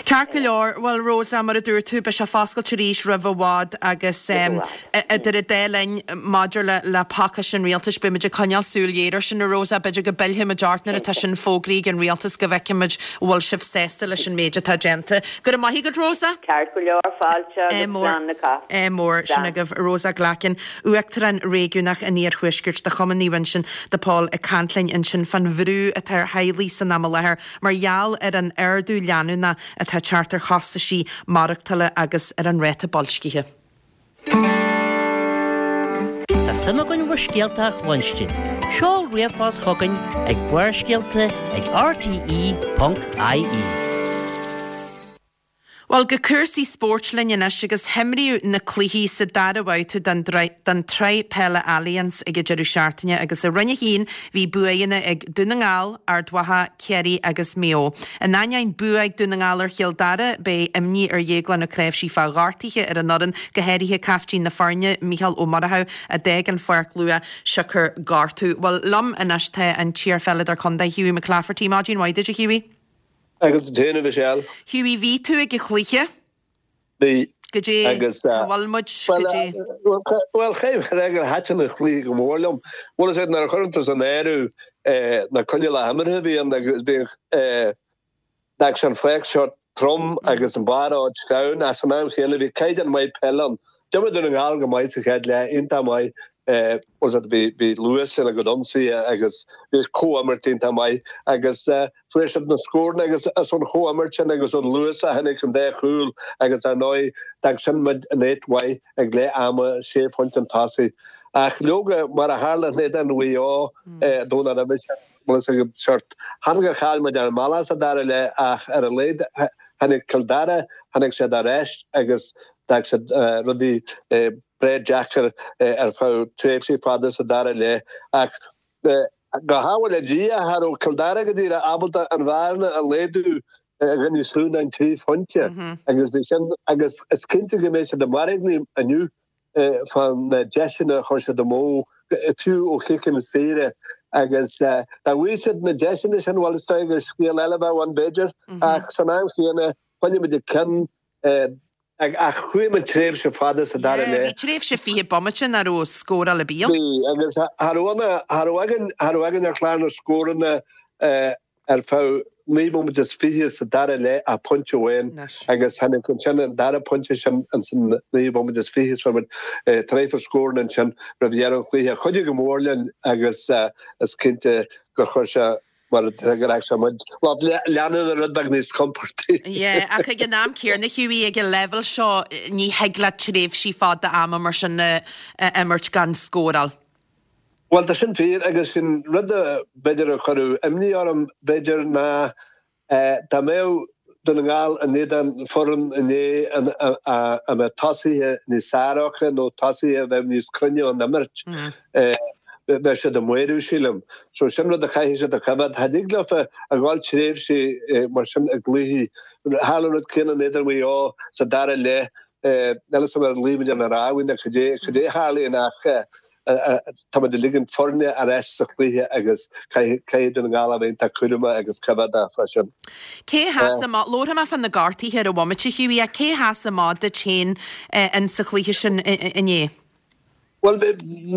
Ceart go leor. Bhuel, Rosa, mar a dúirt tú, beidh sé foscailte arís roimh i bhfad agus idir an dá linn maidir le pacáiste an rialtais, beimid ag coinneáil súil ghéar air sin, a Rosa. B'fhéidir go bpillfimid ort nuair atá sin fógraithe ag an rialtas go bhfeicfimid an bhfuil sibh sásta leis an méid atá déanta. Go raibh maith agat, Rosa. Ceart go leor, fáilte agus slán le cách. Ádh mór. Sin agaibh Rosa Glackin, Uachtarán Réigiúnach an Iarthuaiscirt de Chumann Naomh Uinseann de Pól ag caint linn ansin fán bhrú atá ar theaghlaigh san am i láthair mar gheall ar an ardú leanúnach atá ag teacht ar chostaisí maireachtála agus ar an ráta boilscithe. Tá suim againn bhur scéalta a chluinstin. Seol ríomhphost chugainn ag barrscéalta ag rte.ie. Bhuel, go cúrsaí spóirt linn anois agus himríodh na cluichí sa dara babhta den den tSraith Peile Allianz ag an deireadh seachtaine agus i Roinn 1 bhí buanna ag Dún na nGall, Ard Mhacha, Ciarraí agus Maigh Eo. In ainneoin bua ag Dún na nGall ar Chill Dara, beidh imní ar Dhéaglán Ó Cnáimhsí fá ghortuithe ar an fhoireann, go háirithe caiftín na foirne, Mícheál Ó Murchú, a d'fhág an pháirc luath siocair gortú. Bhuel, liom anois tá an t-iarpheileadóir contae, Hughie McClafferty. Maidin mhaith duit, a Hughie. Agus duit féin, a Mhichelle. Hughie, bhí tú ag an chluiche. Bhí. Goidé cá bhfuil muid, goidé. Bhuel, chaithfidh mé a rá gur thaitin an chluiche go mór liom. Bhuel, is é nuair a chuireann tú san áireamh na coinníollacha imeartha a bhí ann agus bhíodh bheadh sé an pháirc seo trom agus an barr ard sleamhain ach san am chéanna bhí caighdeán maith peile ann. D'imir Dún na nGall go maith sa chéad leath, iontach maith. Bhí bhí luas ina gcuid ionsaithe agus bhí comhimirt iontach maith agus fuair siad na scóranna agus as an chomhimirt sin agus ón luas a tháinig an dá chúl agus ar ndóigh d'fhág sin muid in áit mhaith ag leath ama, sé phointe chun tosaigh. Ach leoga, mar a tharla in éadan Mhaigh Eo an Domhnach roimhe sin, bhfuil fhios agat, sórt, chan gur chaill muid ar an mbealach sa dara leath ach ar a laghad tháinig Cill Dara, tháinig siad ar ais agus d'fhág siad rudaí breá deacair ar feadh tréimhsí fada sa dara leath. Ach go hádhúil le Dia, cha raibh Cill Dara go díreach ábalta an bhearna a laghdú i gcoinne Chluain 3 phointe agus bhí sin agus is cinnte go mbeidh siad ag mairgní inniu fá na deiseanna a chuir siad amú, fiú ó chiceanna saora agus dá bhfaigheadh siad na deiseanna sin, bhuel is dóigh gur scéal eile a bheadh ann b'fhéidir ach san am chéanna choinnigh muid an ceann Ach chuaigh muid tréimhse fada sa dara leath. Bhí tréimhse 20 bomaite nach raibh scóráil ar bith ann. Bhí, agus cha raibh ann, cha raibh againn, cha raibh againn ar chlár na scóranna ar feadh 9 bomaite is 20 sa dara leath ach pointe amháin agus tháinig ansin an dara pointe sin ins an 9 bomaite is 20 so muid traidhfil scóranna ansin roimh dheireadh an chluiche. Chuidigh go mór linn agus is cinnte gur chuir sé mar gur fhág sé muid lucht leanúna rud beag níos compordaí. Yeah, ach ag an am céanna, Hughie, ag an leibhéal seo ní thig leat tréimhsí fada ama mar sin a imirt gan scóráil. Bhuel, tá sin fíor agus sin rud a b'fhéidir a chuirfeadh imní orm, b'fhéidir, ná dá mbeadh Dún na nGall in éadan foireann inné a mbeadh tosaithe níos fearr acu nó tosaithe a bheadh níos cruinne ón imirt, bheadh siad i mbaol, sílim. So sin rud a chaithfidh siad a choimhéad. Cha dtig leofa a dhul tréimhsí mar sin i gcluichí. Tharla an rud céanna in éadan Mhaigh Eo sa dara leath. Níl fhios agam ar luigh muid ar na rámhaí nó cad é cad é a tharlaíonn ach tá muid ag ligean foirne ar ais sa chluiche agus caithfidh Dún na nGall a bheith iontach cúramach agus coimhéadach fá sin. Cé a sheas amach, labharfaidh mé fá na gortuithe ar an bhomaite, Hughie, ach cé a sheas amach duit féin in sa chluiche sin inné? Bhuel,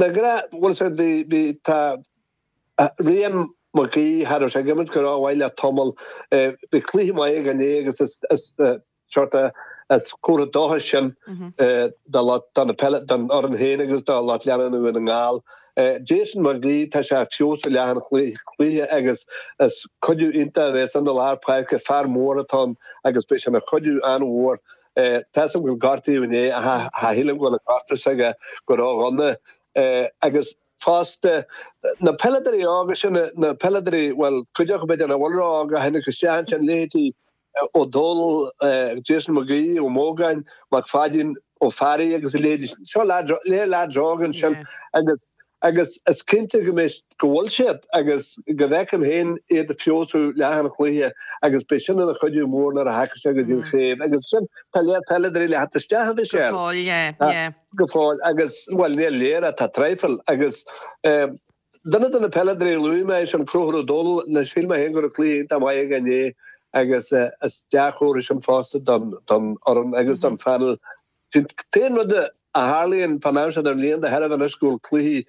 na gra, bhuel, bhí, bhí, tá, Rian McGee, cha raibh sé ag imirt go rómhaith le tamall. Bhí cluiche maith aige inné agus is, is, Sórt is comhartha dóchais sin do lucht don fhoireann féin agus do lucht leanúna Dhún na nGall. Jason McGee, tá sé ag feabhsú leath an chluiche agus is cuidiú iontach a bheas ann i lár páirce, fear mór atá ann agus beidh sé ina chuidiú an-mhór. Tá 'fhios agam gur gortaíodh inné ach cha shílim go bhfuil an gortú s'aige go ródhona agus fosta na peileadóirí óga sin, na peileadóirí, bhuel, cuid acu b'fhéidir nach bhfuil ró-óg a tháinig isteach ansin, leithéidí Ó Dónaill, Jason McGee, Ó Mógáin, Mac Pháidín, Ó Fearraigh agus a leithéidí. Seo léir leaids óga ansin agus agus is cinnte go mbeidh, go bhfuil siad agus go bhfeicim féin iad ag feabhsú leath an chluiche agus beidh sin ina chuidiú mór nuair a thagann sé go dtí an chraobh agus sin tá léir peileadóirí le theacht isteach a Mhichelle. Go fóill, yeah, yeah. Go fóill agus, bhuel níl léir ach tá traidhfil agus eh, Duine de na peileadóirí a luaigh mé é sin Conchúr Ó Dónaill, anois shíl mé féin go raibh cluiche iontach maith aige inné agus is dea-chomhartha sin fosta don fhoireann agus don phainéal. An t-aon rud a tharlaíonn fán am seo den bhliain de thairbhe anois go bhfuil cluichí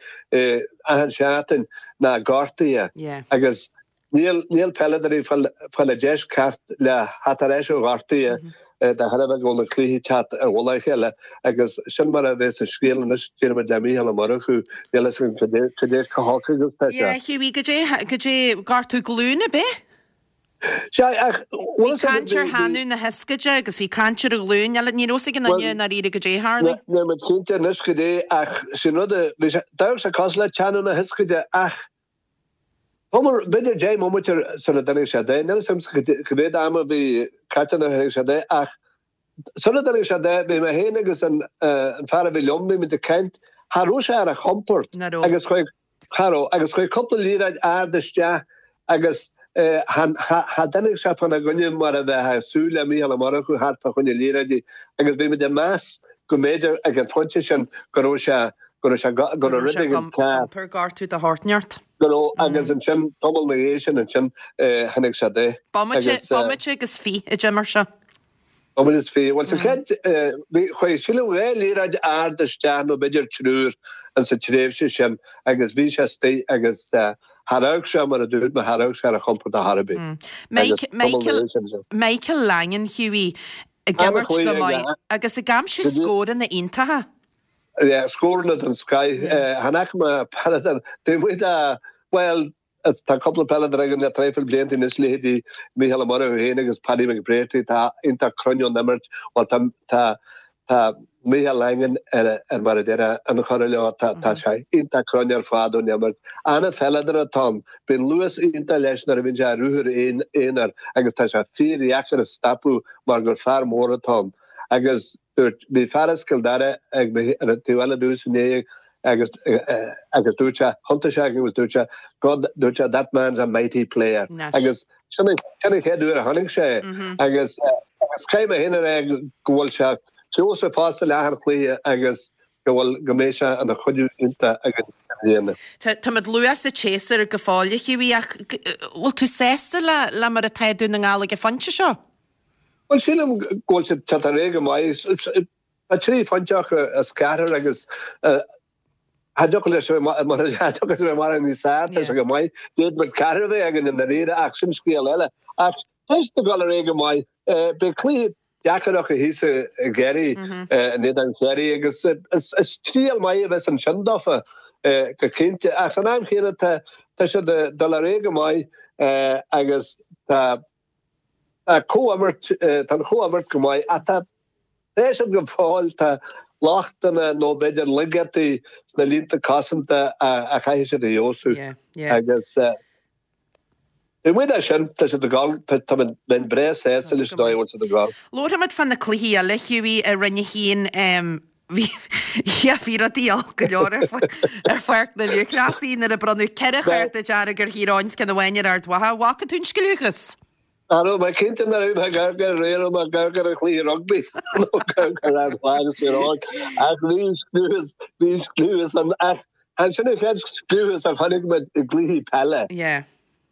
achan seachtain ná gortuithe agus Níl níl peileadóirí ag fáil an deis ceart le theacht ar ais ó ghortuithe de thairbhe go bhfuil na cluichí ag teacht ar mhullach a chéile agus sin mar a bheas an scéal anois déarfaidh muid le Mícheál Ó Murchú níl fhios agam cad é cad é chomh holc agus atá sé. Yeah, Hughie, cad é cad é gortú glúine ab é? Sea, ach bhfuil Bhí caint ar theannadh na hioscaide agus bhí caint ar an ghlúin eile, ní raibh fhios ag aon duine i ndáiríre cad é a tharlaigh. Níl muid cinnte anois cad é ach sin rud a bhí sé d'amharc sé cosúil le teannadh na hioscaide ach Tamall, b'fhéidir 10 mbomaite sula dtáinig sé de, níl a fhios agam cá mhéad ama a bhí caite nuair a tháinig sé de, ach sula dtáinig sé de, bhí mé féin agus an fear a bhí liom, bhí muid ag caint, cha raibh sé ar a chompord agus chuaigh, cha raibh, agus chuaigh cúpla liathróid ard isteach agus cha dtáinig sé fána gcoinne mar a bheifeá ag súil le Mícheál Ó Murchú theacht fá choinne liathróidí agus bhí muid ag meas go mb'fhéidir ag an phointe sin go raibh sé go raibh sé go raibh rud éigin cearr. Iompar gortú de shórt inteacht. Go raibh agus ansin tamall ina dhiaidh sin ansin tháinig sé de. Bomaite, bomaite agus fi a d'imir sé. Bomaite is fi. Bhuel sa chéad bhí chuaigh sílim dhá liathróid ard isteach nó b'fhéidir triúr insa tréimhse sin agus bhí sé istigh agus char amharc sé mar a dúirt mé char amharc sé ar a chompord ar chor ar bith. Michael, Michael Langan, Hughie, ag imirt go maith agus ag aimsiú scóranna iontacha. Yeah, scóranna den scoith. Chan fhaca mé peileadóir taobh amuigh de, bhuel, tá cúpla peileadóir againn le traidhfil blianta anois, leithéidí Mícheál Ó Murchú féin agus Paddy McBrearty, atá iontach cruinn ón imirt. Bhuel, tá, tá, tá Mícheál Langan ar, ar mar a déarfá, an chora leo, tá, tá sé iontach cruinn ar fad ón imirt. An-pheileadóir atá ann. Bíonn luas iontach leis nuair a bhíonn sé ar ruathar aonair agus tá sé fíordheacair a stopadh mar gur fear mór atá ann. Agus. Dúirt, bhí fear as Cill Dara ag mo, ar an taobh eile domhsa inné agus, agus dúirt sé, thiontaigh sé agus dúirt sé, God, dúirt sé, that man's a mighty player. Nice. Agus sin an, sin an chéad uair a chonaic sé é. Agus, agus caithfidh mé féin a rá go bhfuil sé feabhsaithe fosta le achan chluiche agus go bhfuil, go mbeidh sé ina chuidiú iontach againn i mbliana. Tá, táimid luath sa tséasúr go fóill, a Hughie, ach bhfuil tú sásta le, le mar atá Dún na nGall ag an phointe seo? Bhuel, sílim go bhfuil siad teacht ar aghaidh go maith. Tá 3 phointe acu as ceathrar agus cha dtiocfadh leis a bheith mar níos fearr, tá sé go maith. D'fhéadfadh muid ceathrar a bheith againn i ndáiríre ach sin scéal eile. Ach tá siad ag dul ar aghaidh go maith. Beidh cluiche deacair acu thíos i gCiarraí, in éadan Chiarraí agus is triail maith a bheas ansin dófa go cinnte. Ach san am chéanna tá siad ag dul ar aghaidh go maith agus tá Tá comhimirt, tá an chomhimirt go maith ach tá tá siad go fóill, tá lochtanna nó b'fhéidir laigeachtaí sna línte cosanta a chaithfidh siad a fheabhsú agus taobh amuigh de sin, tá siad ag dul, tá mé bheinn breá sásta leis an dóigh a bhfuil siad ag dul. Labharfaimid fá na cluichí eile, Hughie, i Roinn 1. Bhí, yeah, bhí rudaí olc go leor ar ar pháirc na lúthchleasaí nuair a bronnadh 4 chárta dearg ar Thír Eoghain 's ceann amháin ar Ard Mhacha. Bhfaca tú an scliúchas? Cha raibh mé cinnte an raibh mé ag amharc ar an raibh mé ag amharc ar an chluiche rugbaí nó ag amharc ar Ard Mhacha agus Tír Eoghain ach bhí scliúchas, bhí scliúchas ann ach chan sin an chéad scliúchas a chonaic muid i gcluichí peile. Yeah.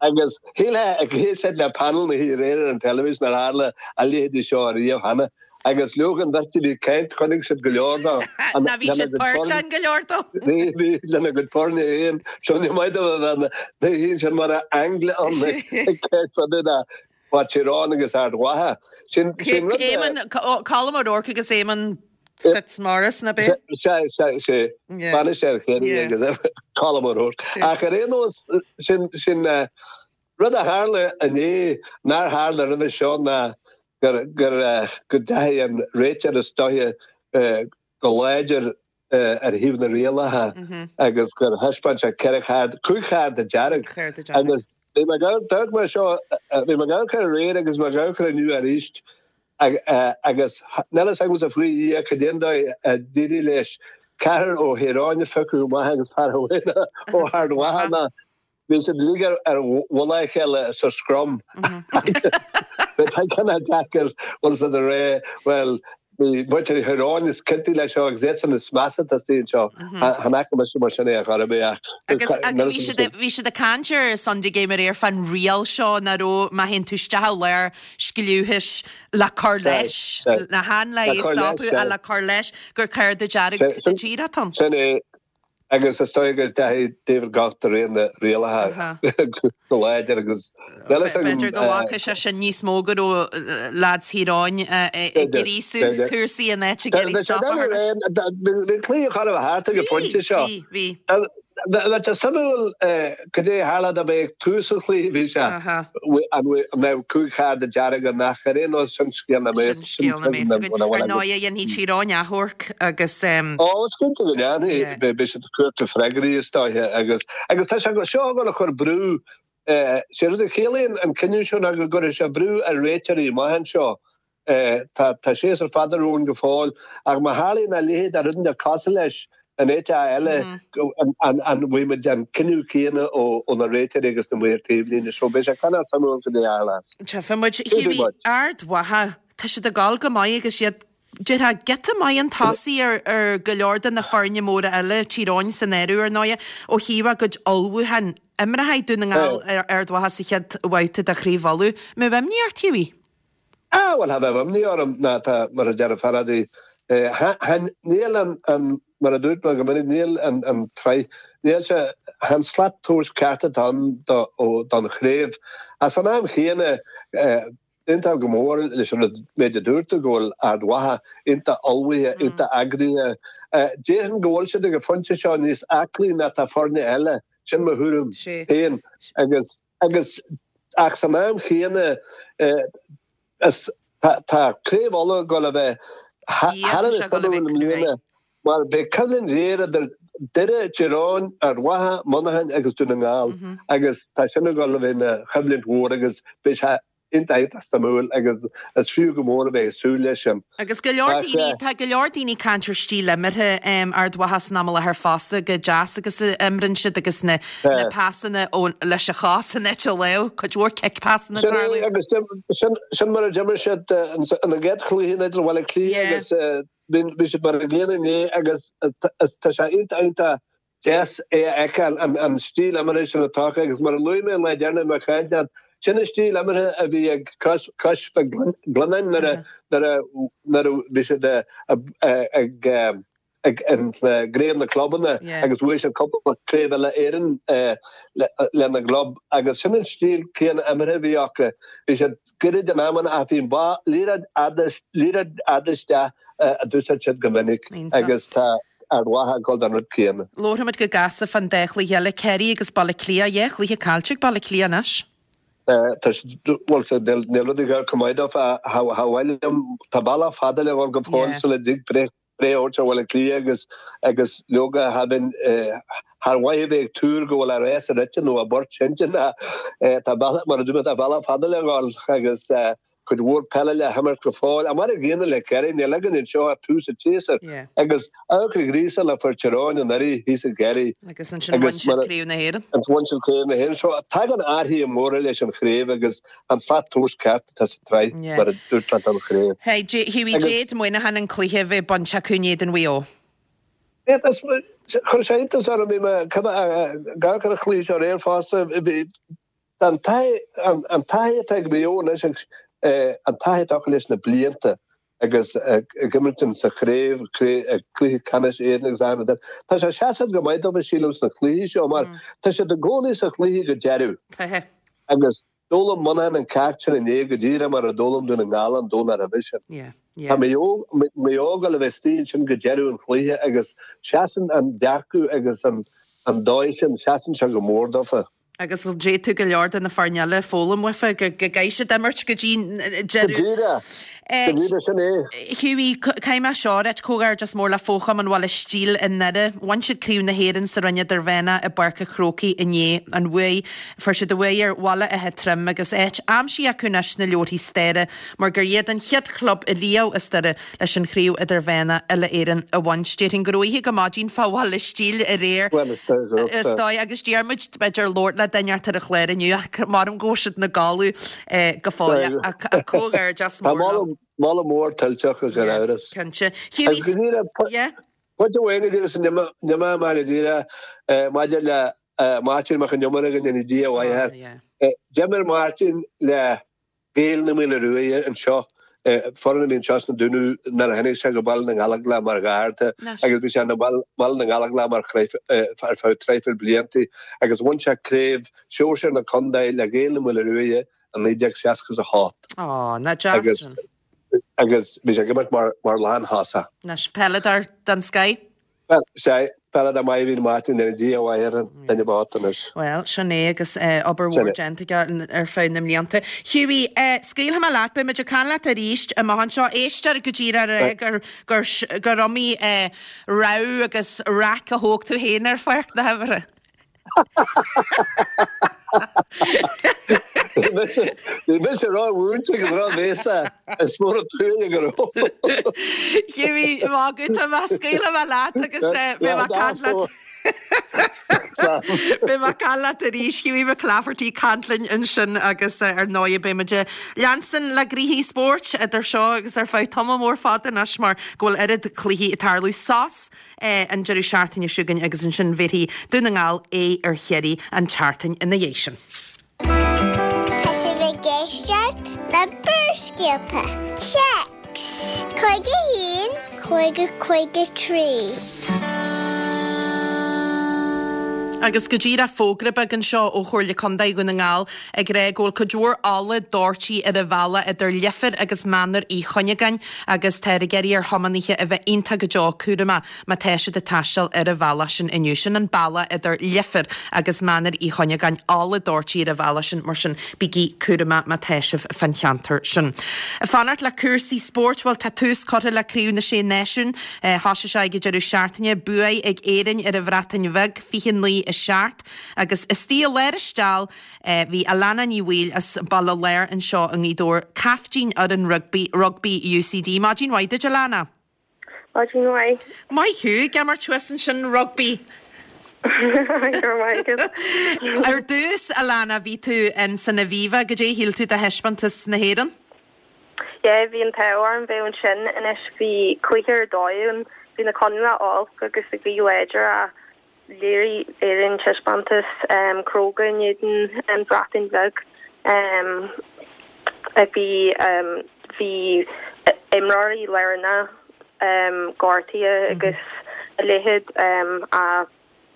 Agus shílfeá ag éisteacht le panel na hoíche aréir ar an teilifís nár tharla a leithéidí seo ariamh cheana. Agus leoga an bheirt a bhí ag caint, chonaic siad go leor dó. Ná bhí siad páirteach in go leor dó. Bhí, bhí, lena gcuid foirne féin. Seo ní maith dóibh a bheith na daoine sin mar a aingle ann ag caint fá dtaobh de Bhaile Tír Eoghain agus Ard Mhacha. Sin, sin rud a. Éamonn, Colm O'Rourke agus Éamonn Fitzmaurice, ná b'é? Sea, sea, sea. Bainisteoir Chiarraí agus Colm O'Rourke. Ach ar aon nós, sin, sin rud a tharla inné nár tharla roimhe seo ná gur, gur, go ndeachaigh an réiteoir is dóiche go láidir ar thaobh na rialacha agus gur thaispeáin sé 4 chárta, 5 chárta dearg agus bhí mé ag amharc, d'amharc mé seo, bhí mé ag amharc air aréir agus mé ag amharc air inniu arís agus níl a fhios agamsa faoi Dhia cad é an dóigh a d'éirigh leis ceathrar ó Thír Eoghain a phiocadh amach agus fear amháin ó Ard Mhacha ná Bhí siad uilig ar mhullach a chéile sa scrum agus bhí sé cineál deacair bhfuil siad a rá bhuel bhí muintir Thír Eoghain is ciontaí leis seo agus iadsan is measa atá istigh anseo. Chan fhaca mise mar sin é ar chor ar bith ach Agus bhí siad bhí siad ag caint ar Sunday Game aréir fán riail seo nach raibh má théann tú isteach i lár scliúchais le cur leis, na chan le é a stopadh ach le cur leis gur cárta dearg go díreach atá ann. Sin é. Agus is dóigh go ndeachaigh David Gough de réir na rialacha go láidir agus níl fhios agam. B'fhéidir go bhfaca sé sin níos mó go raibh lads Thír Eoghain ag gríosú cúrsaí in áit ag iarraidh stop a chur leis. Bhí an cluiche chóir a bheith thart ag an phointe seo. Bhí, bhí, bhí. Bheadh sé suimiúil cad é a tharla dá mbeadh tús an chluiche bhí sé an mbeadh 5 chárta dearg ann ach ar aon nós sin scéal na mbeas Sin scéal na mbeas againn. Ar ndóigh dhéanfaidh Tír Eoghain achomharc agus. Ó is cinnte go ndéanfaidh. Beidh siad ag cuartú freagraí is dóiche agus agus tá sé seo ag dul a chur brú sé rud a chiallaíonn an cinneadh seo ná go gcuirfidh sé brú ar réiteoirí amach anseo Tá séasúr fada romhainn go fóill, ach má tharlaíonn a leithéid de rud nó cosúil leis in áit eile, an bhfaighidh muid an cinneadh céanna ó na réiteoirí agus na maoir taobhlíne? So beidh sé cineál suimiúil cad é a tharlós. Tchífidh muid. Hughie, Ard Mhacha, tá siad ag dul go maith agus iad, déarfá, giota maith chun tosaigh ar go leor de na foirne móra eile, Tír Eoghain san áireamh ar ndóighe, ó thaobh a gcuid ullmhúcháin. Imreoidh Dún na nGall ar Ard Mhacha sa chéad bhabhta de Chraobh Uladh. Mbeadh imní ort, Hughie? Ah, bhuel, cha bheadh imní orm, ná tá, mar a deir Faraday, chan, níl an, an, mar a dúirt mé go minic, níl an, an tsraith, níl sé, chan slat tomhais ceart atá ann do, ó, don chraobh. Ach san am chéanna, eh, Aontaím go mór leis an méid a dúirt tú, go bhfuil Ard Mhacha iontach ullmhaithe, iontach eagraithe. Déarfainn go bhfuil siad ag an phointe seo níos aclaí ná tá foirne eile, sin mo thuairim féin. Agus, agus, ach san am chéanna, is, tá, tá Craobh Uladh ag dul a bheith thar a bheith suimiúil i mbliana mar beidh coimhlint ghéar idir Doire, Tír Eoghain, Ard Mhacha, Muineachán agus Dún na nGall agus tá sin ag dul a bheith ina choimhlint mhór agus beidh sé iontach iontach suimiúil agus is fiú go mór a bheith ag súil leis sin. Agus go leor daoine, tá go leor daoine ag caint ar stíl imeartha Ard Mhacha san am i láthair fosta, chomh deas agus a imríonn siad agus na pasanna leis an chos in áit an lámh, cuid mhór cic pasanna ag tarlú. Sin é agus sin mar a d'imir siad ina gcéad chluiche in éadan Bhaile Átha Cliath agus Bhí siad mar an gcéanna inné agus tá sé iontach iontach deas é a fheiceáil, an stíl imeartha sin atá acu agus mar a luaigh mé an lá deireanach i mo chaint leat, sin an stíl imeartha a bhí ag Cois Mhic Lionnáin nuair a nuair a bhí siad ag ag gCraobh na Clubanna agus bhuaigh siad cúpla craobh uile Éireann lena gclub agus sin an stíl céanna imeartha a bhí acu. Bhí siad Gairid in amanna ach bhí liathróid fhada isteach a d'úsáid siad go minic agus tá Ard Mhacha ag dul don rud céanna. Labharfaimid go gasta fán dá chluiche eile, Ciarraí agus Baile Átha Cliath. Dhá chluiche caillte ag Baile Átha Cliath anois. Tá siad, bhuel, níl rud ag dul chomh maith dóibh. Cha mhaith liom, tá bealach fada le dhul go fóill sula dtig breith breith a thabhairt ar Bhaile Átha Cliath agus agus leoga cha bheinn char mhaith a bheith ag tuar go bhfuil a rás rite nó a bport seinnte ná tá bealach mar a dúirt mé tá bealach fada le dhul agus cuid mhór peile le himirt go fóill. Ach mar an gcéanna le Ciarraí níl againn anseo ach tús an tséasúir agus amharc an ghríosáil a fuair Tír Eoghain anuraidh thíos i gCiarraí. Agus ansin bhain siad Craobh na hÉireann. Agus bhain siad Craobh na hÉireann. So tagann athruithe móra leis an chraobh agus an slat tomhais ceart atá sa tsraith, mar a dúirt mé don chraobh. Hey, Hughie, d'fhéad Muineachán an cluiche a bheith bainte acu in éadan Mhaigh Eo. Chuir sé iontas orm, bhí mé ag amharc ar an chluiche seo aréir fosta, bhí an taithí atá ag Maigh Eo anois agus an taithí atá acu leis na blianta agus ag imirt sa chraobh, cluiche ceannais Éireann agus achan rud. Tá sé seasamh go maith dóibh sílim sna cluichí seo mar tá siad i gcónaí sa chluiche go deireadh. Agus d'fhoghlaim Muineachán an ceacht sin inné go díreach mar a d'fhoghlaim Dún na nGall an Domhnach roimhe sin. Tá Maigh Eo ag dul a bheith istigh ansin go deireadh an chluiche agus seasann an dearcadh agus an dóigh sin, seasann sé go mór dófa. Agus d'fhéadfadh go leor de na foirne eile foghlaim uafa go gcaithfidh siad imirt go dtí deireadh. Go díreach, go díreach, sin é. Hughie, caithfidh mé seo a ráit, comhghairdeas mór le Fo-Chumann Bhaile Stíl i nDoire. Bhain siad Craobh na hÉireann sa Roinn Idirmheánach i bPáirc an Chrócaigh inné. An bhuaidh, fuair siad a bhuaidh ar Bhaile Átha Troim agus áit aimsithe acu anois sna leabharthaí staire mar gur iad an chéad chlub riamh as Doire leis an Chraobh Idirmheánach Uile-Éireann a bhaint. Déarfainn go raibh oíche go maidin fá Bhaile Stíl aréir. Bhuel, is dóigh go raibh. Is dóigh, agus Diarmuid, b'fhéidir labhairt le duine ort ar an chlár inniu ach measaim go bhfuil siad ina gcodladh go fóill ach comhghairdeas mór leo. Tá moladh mór tuillteach gan amhras. Cinnte. Hughie, yeah. Pointe amháin go díreach sula n-imeoidh mé go díreach maidir le Máirtín Mac Con Iomaire go ndéana Dia a mhaith air. D'imir Máirtín le Gaeil na Maoile Ruaidhe anseo, foireann a bhí anseo sna Dúnaibh nuair a tháinig sé go Baile na nGallóglach mar gharda agus bhí sé i mBaile na nGallóglach mar ar feadh traidhfil bliantaí agus bhain sé craobh sóisir na contae le Gaeil na Maoile Ruaidhe i 1968. Á, nach deas sin. Agus bhí sé ag imirt mar lánthosach. Anois, peileadóir den scoith. Bhuel, sea, peileadóir maith a bhí in Martin, go ndéana Dia a mhaith air, an duine bocht anois. Bhuel, sin é agus obair mhór déanta aige ar feadh na mblianta. Hughie, scaoilfidh mé leat, beidh muid ag caint leat arís amach anseo. Éisteoir go díreach a rá gur, gur, gur iomaí rabhadh agus raic a thóg tú féin ar pháirc na himeartha. Bhí mise ró-mhúinte agus ró-bhéasach, is mór an truaille go raibh. Hughie, magadh, tá mé, scaoilfidh mé leat agus beidh mé ag caint leat. Beidh mé ag caint leat arís, Hughie McClafferty ag caint linn ansin agus ar ndóigh beidh muid ag leanstan le gnoithí spóirt idir seo agus ar feadh tamall mór fada anois mar go bhfuil oiread cluichí ag tarlú. Sos an deireadh seachtaine seo chugainn agus ansin bhéarfaidh Dún na nGall aghaidh ar Chiarraí an tseachtain ina dhiaidh sin. Tá sibh ag éisteacht le Barrscéalta. Téacs 51 50 53. Agus go díreach fógra beag anseo ó Chomhairle Contae Dhún na nGall ag rá go bhfuil cuid mhór ola doirtí ar an bhealach idir Leifear agus Mainéar Uí Chuinneagáin agus táthar ag iarraidh ar thiománaithe a bheith iontach go deo cúramach má tá siad ag taisteal ar an bhealach sin inniu. Sin an bealach idir Leifear agus Mainéar Uí Chuinneagáin, ola doirtí ar an bhealach sin, mar sin bígí cúramach má tá sibh fán cheantar sin. Ag fanacht le cúrsaí spóirt, bhuel tá tús curtha le Craobh na Sé Náisiún. Thosaigh sé ag an deireadh seachtaine. Buaidh ag Éirinn ar an Bhreatain Bheag, 29, 7, agus istigh i lár an steall bhí Alana Ní Bhaoill as Baile Láir anseo i nGaoth Dobhair, caiftín fhoireann rugbaí rugbaí UCD. Maidin mhaith duit Alana. Maidin mhaith. Maith thú, ag imirt thuas ansin rugbaí. Go raibh maith agat. Ar dtús, Alana, bhí tú in san Aviva, goidé a shíl tú de thaispeántas na hÉireann? Yeah, bhí an t-ádh orm bheith ansin anois, bhí cluiche ar dóigh ann, bhí na coinníollacha olc agus an ghaoth láidir ach léirigh Éirinn taispeántas cróga in éadan an Bhreatain Bheag. Bhí bhí imreoirí lárnacha gortaithe agus a leithéid ach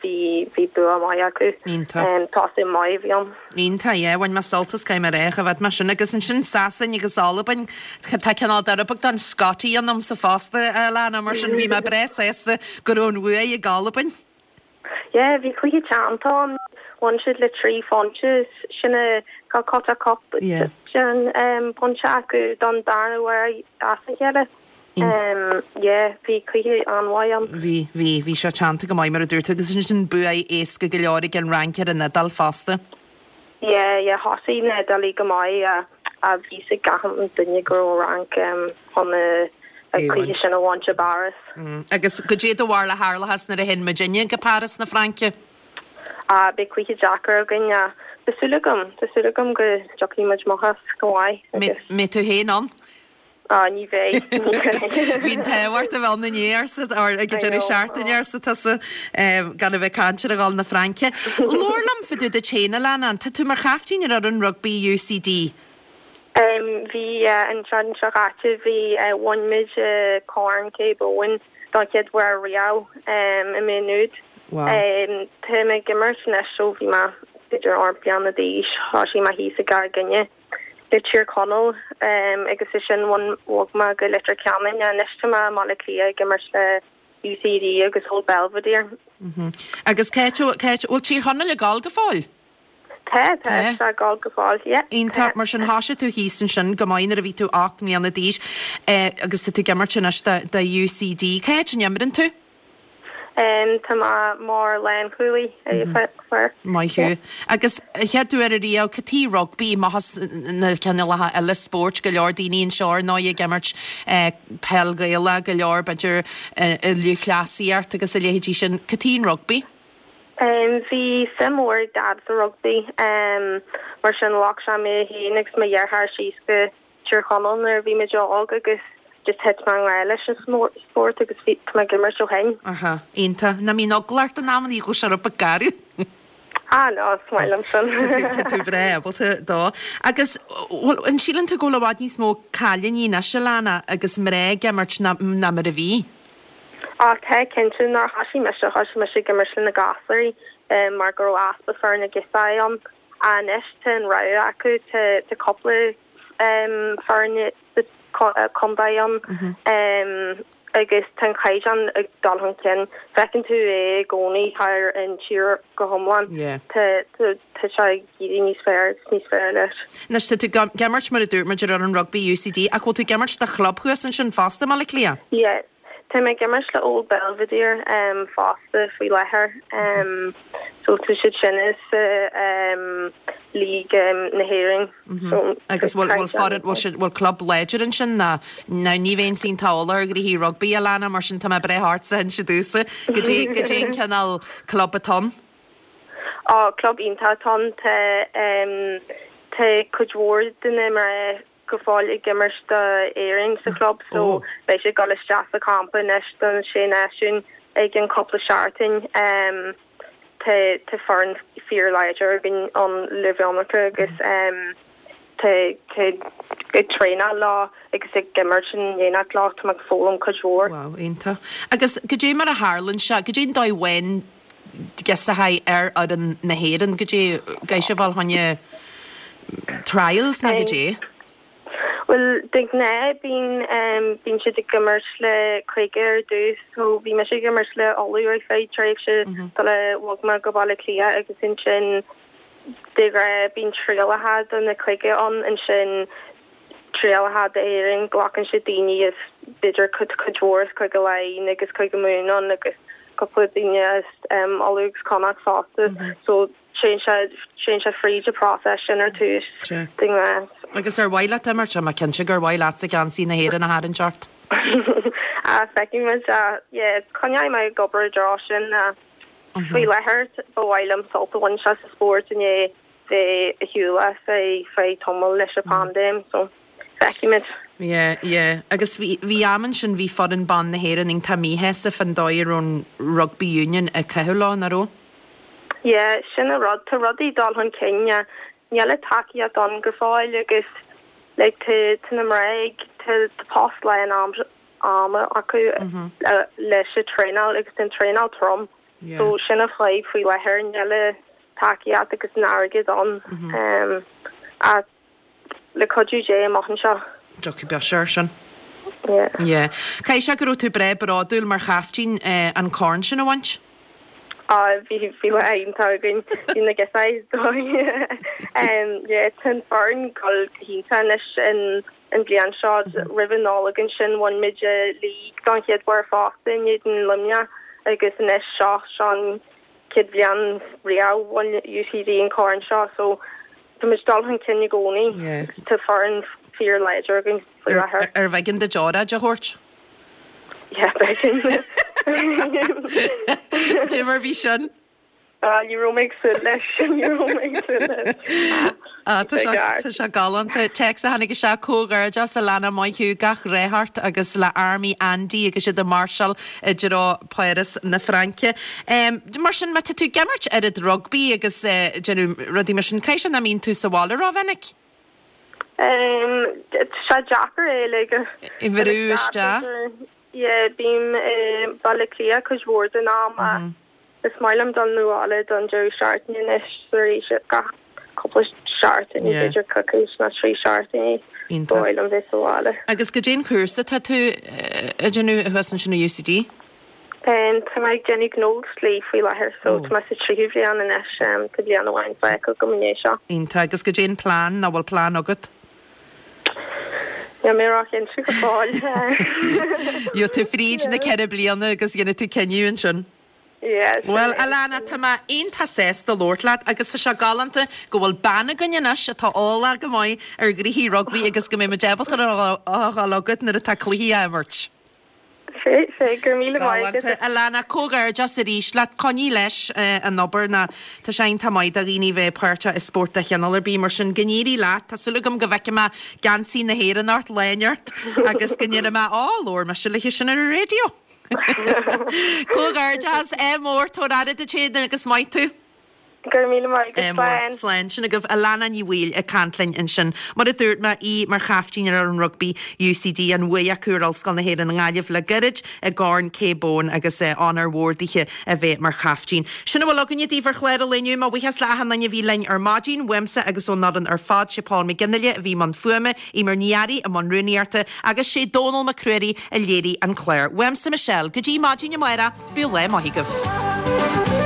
bhí bhí bua maith acu. Iontach. Tosú maith a bhí ann. Iontach, yeah. Bhain mé sult as caithfidh mé a rá, choimhéad mé sin. Agus ansin Sasain agus Albain, tá cineál de rud beag den Scottie ionamsa fosta, a Alana, mar sin bhí mé breá sásta go raibh an bhuaidh ag Albain. Yeah, bhí cluiche teannta ann. Bhain siad le 3 phointe, sin a cut a cup pointe acu don darna huair as a chéile. Yeah, bhí cluiche an-mhaith ann. Bhí, bhí, bhí sé teannta go maith mar a dúirt tú agus ansin buaidh éasca go leor ag an Fhrainc ar an Iodáil fosta. Yeah, yeah, thosaigh na hIodálaigh go maith ach bhí fhios ag gach duine go raibh an Fhrainc chun an cluiche sin a bhaint i bPáras. Agus goidé do bharúil a tharlóchas nuair a théann muidinne go Páras na Fraince? Ah, beidh cluiche deacair againn ach tá súil agam, tá súil agam go dtiocfaidh muid amach as go maith agus. Mbeidh tú féin ann? Ah, ní bheidh, ní bheidh. Bhí an t-ádh ort a bheith ann inné, arsa, or ag an deireadh seachtaine, arsa tusa, gan a bheith ag caint ar a dhul na Fraince. Labhair liom fá dtaobh duit féin, Alana, tá tú mar chaiftín ar fhoireann rugbaí UCD. Bhí, an tseachtain seo caite, bhí, bhain muid Corn Céib Eoin don chéad uair riamh i Maigh Nuad. Wow. Tá mé ag imirt anois ó bhí mé b'fhéidir 8 bliana d'aois, thosaigh mé thíos i gCora Finne. le Tír Chonaill agus ansin bhog mé go Leitir Ceanainn. Anois tá mé i mBaile Átha Cliath ag imirt le UCD agus Old Belvedere. Agus cá háit, cá háit, bhfuil Tír Chonaill ag gabháil go fóill? Tá, tá sé ag gabháil go fóill, yeah. Iontach, mar sin thosaigh tú thíos ansin go maith nuair a bhí tú 8 mbliana d'aois agus tá tú ag imirt anois do UCD. Cá háit a n-imreann tú? Tá mé mar lánchúlaí ar. Maith thú. Agus an chéad uair ariamh, cad chuige rugbaí, maitheas na cineálacha eile spóirt, go leor daoine anseo ar ndóigh ag imirt peil Ghaelach, go leor b'fhéidir i lúthchleasaíocht agus a leithéidí sin. Cad chuige an rugbaí? Bhí suim mhór ag Dad sa rugbaí, mar sin ghlac sé mé féin agus mo dheartháir síos go Tír Chonaill nuair a bhí muid óg agus just thit mé i ngrá leis an spórt agus bhí, tá mé ag imirt ó shin. Aha, iontach. Nach mbíonn eagla ort in amannaí go bhfuil sé rud beag garbh? Ah no, is maith liom sin. Tá tú breá ábalta dó. Agus bhfuil, an síleann tú go bhfuil i bhfad níos mó cailíní anois, Alana, agus mná ag imirt ná, ná mar a bhí? Ah tá, cinnte. Nuair a thosaigh mise, thosaigh mise ag imirt le na gasúirí mar go raibh easpa foirne girseachaí ann. Anois tá an rogha acu, tá cúpla foireann sa chontae ann agus tá an caighdeán ag dul chun cinn. Feiceann tú é i gcónaí thar an tír go hiomlán. Tá sé ag éirí níos fearr agus níos fearr leis. Anois tá tú ag imirt mar a dúirt muid ar fhoireann rugbaí UCD ach bhfuil tú ag imirt do chlub thuas ansin fosta i mBaile Átha Cliath? Yeah. Tá mé ag imirt le Old Belvedere fosta faoi láthair so tá siad sin sa League na hÉireann. So Agus bhfuil bhfuil foireann bhfuil siad bhfuil club láidir ansin ná ná ní bheinn iontach eolach ar ghnoithí rugbaí Alana mar sin tá mé breá ortsa inse domhsa goidé goidé an cineál club atá ann. Á club iontach atá ann tá tá cuid mhór de na mná go fóill ag imirt d'Éirinn sa chlub so beidh siad ag dul isteach sa champa anois don Sé Náisiún i gceann cúpla seachtain. Tá tá foireann fíor láidir againn ann le Veronica agus tá tá ag traenáil leo agus ag imirt in éineacht leo tá mé ag foghlaim cuid mhór. Wow, iontach. Agus goidé mar a tharlaíonn sé, goidé an dóigh a bhfaigheann. girseachaí ar fhoireann na hÉireann, goidé, caithfidh sibh a dhul fá choinne trials nó goidé? Bhuel, de ghnáth bíonn, bíonn siad ag imirt le cúige ar dtús, so bhí mise ag imirt le Ulaidh ar feadh tréimhse sular bhog mé go Baile Átha Cliath agus ansin de ghnáth bíonn trialacha do na cúige ann, ansin trialacha d'Éirinn, glacann siad daoine as b'fhéidir cuid cuid mhór as Cúige Laighean agus Cúige Mumhan ann agus cúpla duine as Ulaidh agus Connacht fosta, so Téann sé, téann sé fríd an process sin ar tús, de ghnáth. Agus ar mhaith leat imirt? Tá mé cinnte gur mhaith leatsa geansaí na hÉireann a tharraingt ort. Ah, feicfidh muid. Ah, yeah, coinneoidh mé ag obair i dtreo sin. Ah, faoi láthair, ba mhaith liom sult a bhaint as an spórt i ndiaidh bheith ar shiúl as ar feadh tamaill leis an paindéim, so feicfidh muid. Yeah, yeah. Agus bhí, bhí am ansin, bhí foireann ban na hÉireann iontach míshásta fán dóigh a raibh an Rugby Union ag caitheamh leo, nach raibh? Yeah, sin an rud, tá rudaí ag dul chun cinn ach níl an tacaíocht ann go fóill agus like tá tá na mná ag tá tá post lán am ama acu leis an traenáil agus tá an traenáil trom so sin an fadhb faoi láthair, níl an tacaíocht agus an airgead ann ach Le cuidiú Dé amach anseo. Tiocfaidh beis air sin. Yeah. Yeah. Caithfidh sé go raibh tú breá bródúil mar chaiftín an corn sin a bhaint? Ah, bhí, bhí lá iontach againn. Bhí na girseachaí is dóigh. Yeah, tá an foireann ag dul go hiontach anois an, an bhliain seo. Roimh an Nollaig ansin bhain muid an league don chéad uair fosta in éadan Luimneach agus anois seo, seo an chéad bhliain riamh bhain UCD an corn seo so Tá muid ag dul chun cinn i gcónaí. Tá foireann fíor láidir againn faoi láthair. Ar bh'éigean duit óráid a thabhairt? Yeah, b'éigean. Cad é mar bhí sin? Ah, ní raibh mé ag súil leis. Ní raibh mé ag súil leis. Ah, tá sé, tá sé galánta. Téacs a tháinig isteach, Comhghairdeas Alana, maith thú, gach rath ort agus le Army Andy agus iad ag máirseáil i dtreo Páras na Fraince. Mar sin, má tá tú ag imirt oiread rugbaí agus déanamh rudaí mar sin, caithfidh sé nach mbíonn tú sa bhaile rómhinic? Tá sé deacair é like a bhrú isteach. Yeah, bím i Baile Átha Cliath cuid mhór den am ach Is maith liom dul 'na bhaile don deireadh seachtaine anois is arís gach cúpla seachtain, b'fhéidir coicís nó 3 seachtainí, ba mhaith liom bheith sa bhaile. Agus goidé an cúrsa atá tú a déanamh thuas ansin i UCD? Tá mé ag déanamh gnó agus dlí faoi láthair so tá mé sa tríú bhliain anois, tá bliain amháin fágtha agam i ndiaidh seo. Iontach. Agus goidé an plean, nó bhfuil plean agat? Níl mé róchinnte go fóill. Gheobhaidh tú fríd na 4 bliana agus dhéanfaidh tú cinneadh ansin. Yeah, sin Bhuel, é. Alana, tá mé iontach sásta labhairt leat agus tá sé galánta go bhfuil bean againn anois atá eolach go maith ar ghnoithí rugbaí agus go mbeidh muid ábalta a dhul chugat nuair atá cluichí á imirt. Sea, sea, go raibh míle maith agat. Galánta. Alana, comhghairdeas arís leat. Coinnigh leis an obair nó tá sé iontach maith do dhaoine bheith páirteach i spórt de chineál ar bith. Mar sin, go n-éirí leat. Tá súil agam go bhfeicfidh mé geansaí na hÉireann ort lá inteacht agus go ndéarfaidh mé, Á, labhair mise léi sin ar an raidió. Comhghairdeas, ádh mór, tabhair aire duit féin agus maith tú. Go raibh míle maith agat. Slán. Slán. Sin agaibh Alana Ní Bhaoill ag caint linn ansin. Mar a dúirt mé, í mar chaiftín ar fhoireann rugbaí UCD, an bhuaidh acu ar Ollscoil na hÉireann i nGaillimh le gairid i gCorn Kay Bowen agus onóir mhór dithe a bheith mar chaiftín. Sin a bhfuil againne daoibh ar chlár an lae inniu. Mo bhuíochas le achan duine a bhí linn ar maidin, uaimse agus ón fhoireann ar fad, sé Paul McGinley a bhí i mbun fuaime, Eimear Ní Fhearraigh i mbun rúnaíochta agus sé Dónal Mac Ruairí a léirigh an clár. Uaimse Michelle, go dtí maidin amárach, bíodh lá maith agaibh.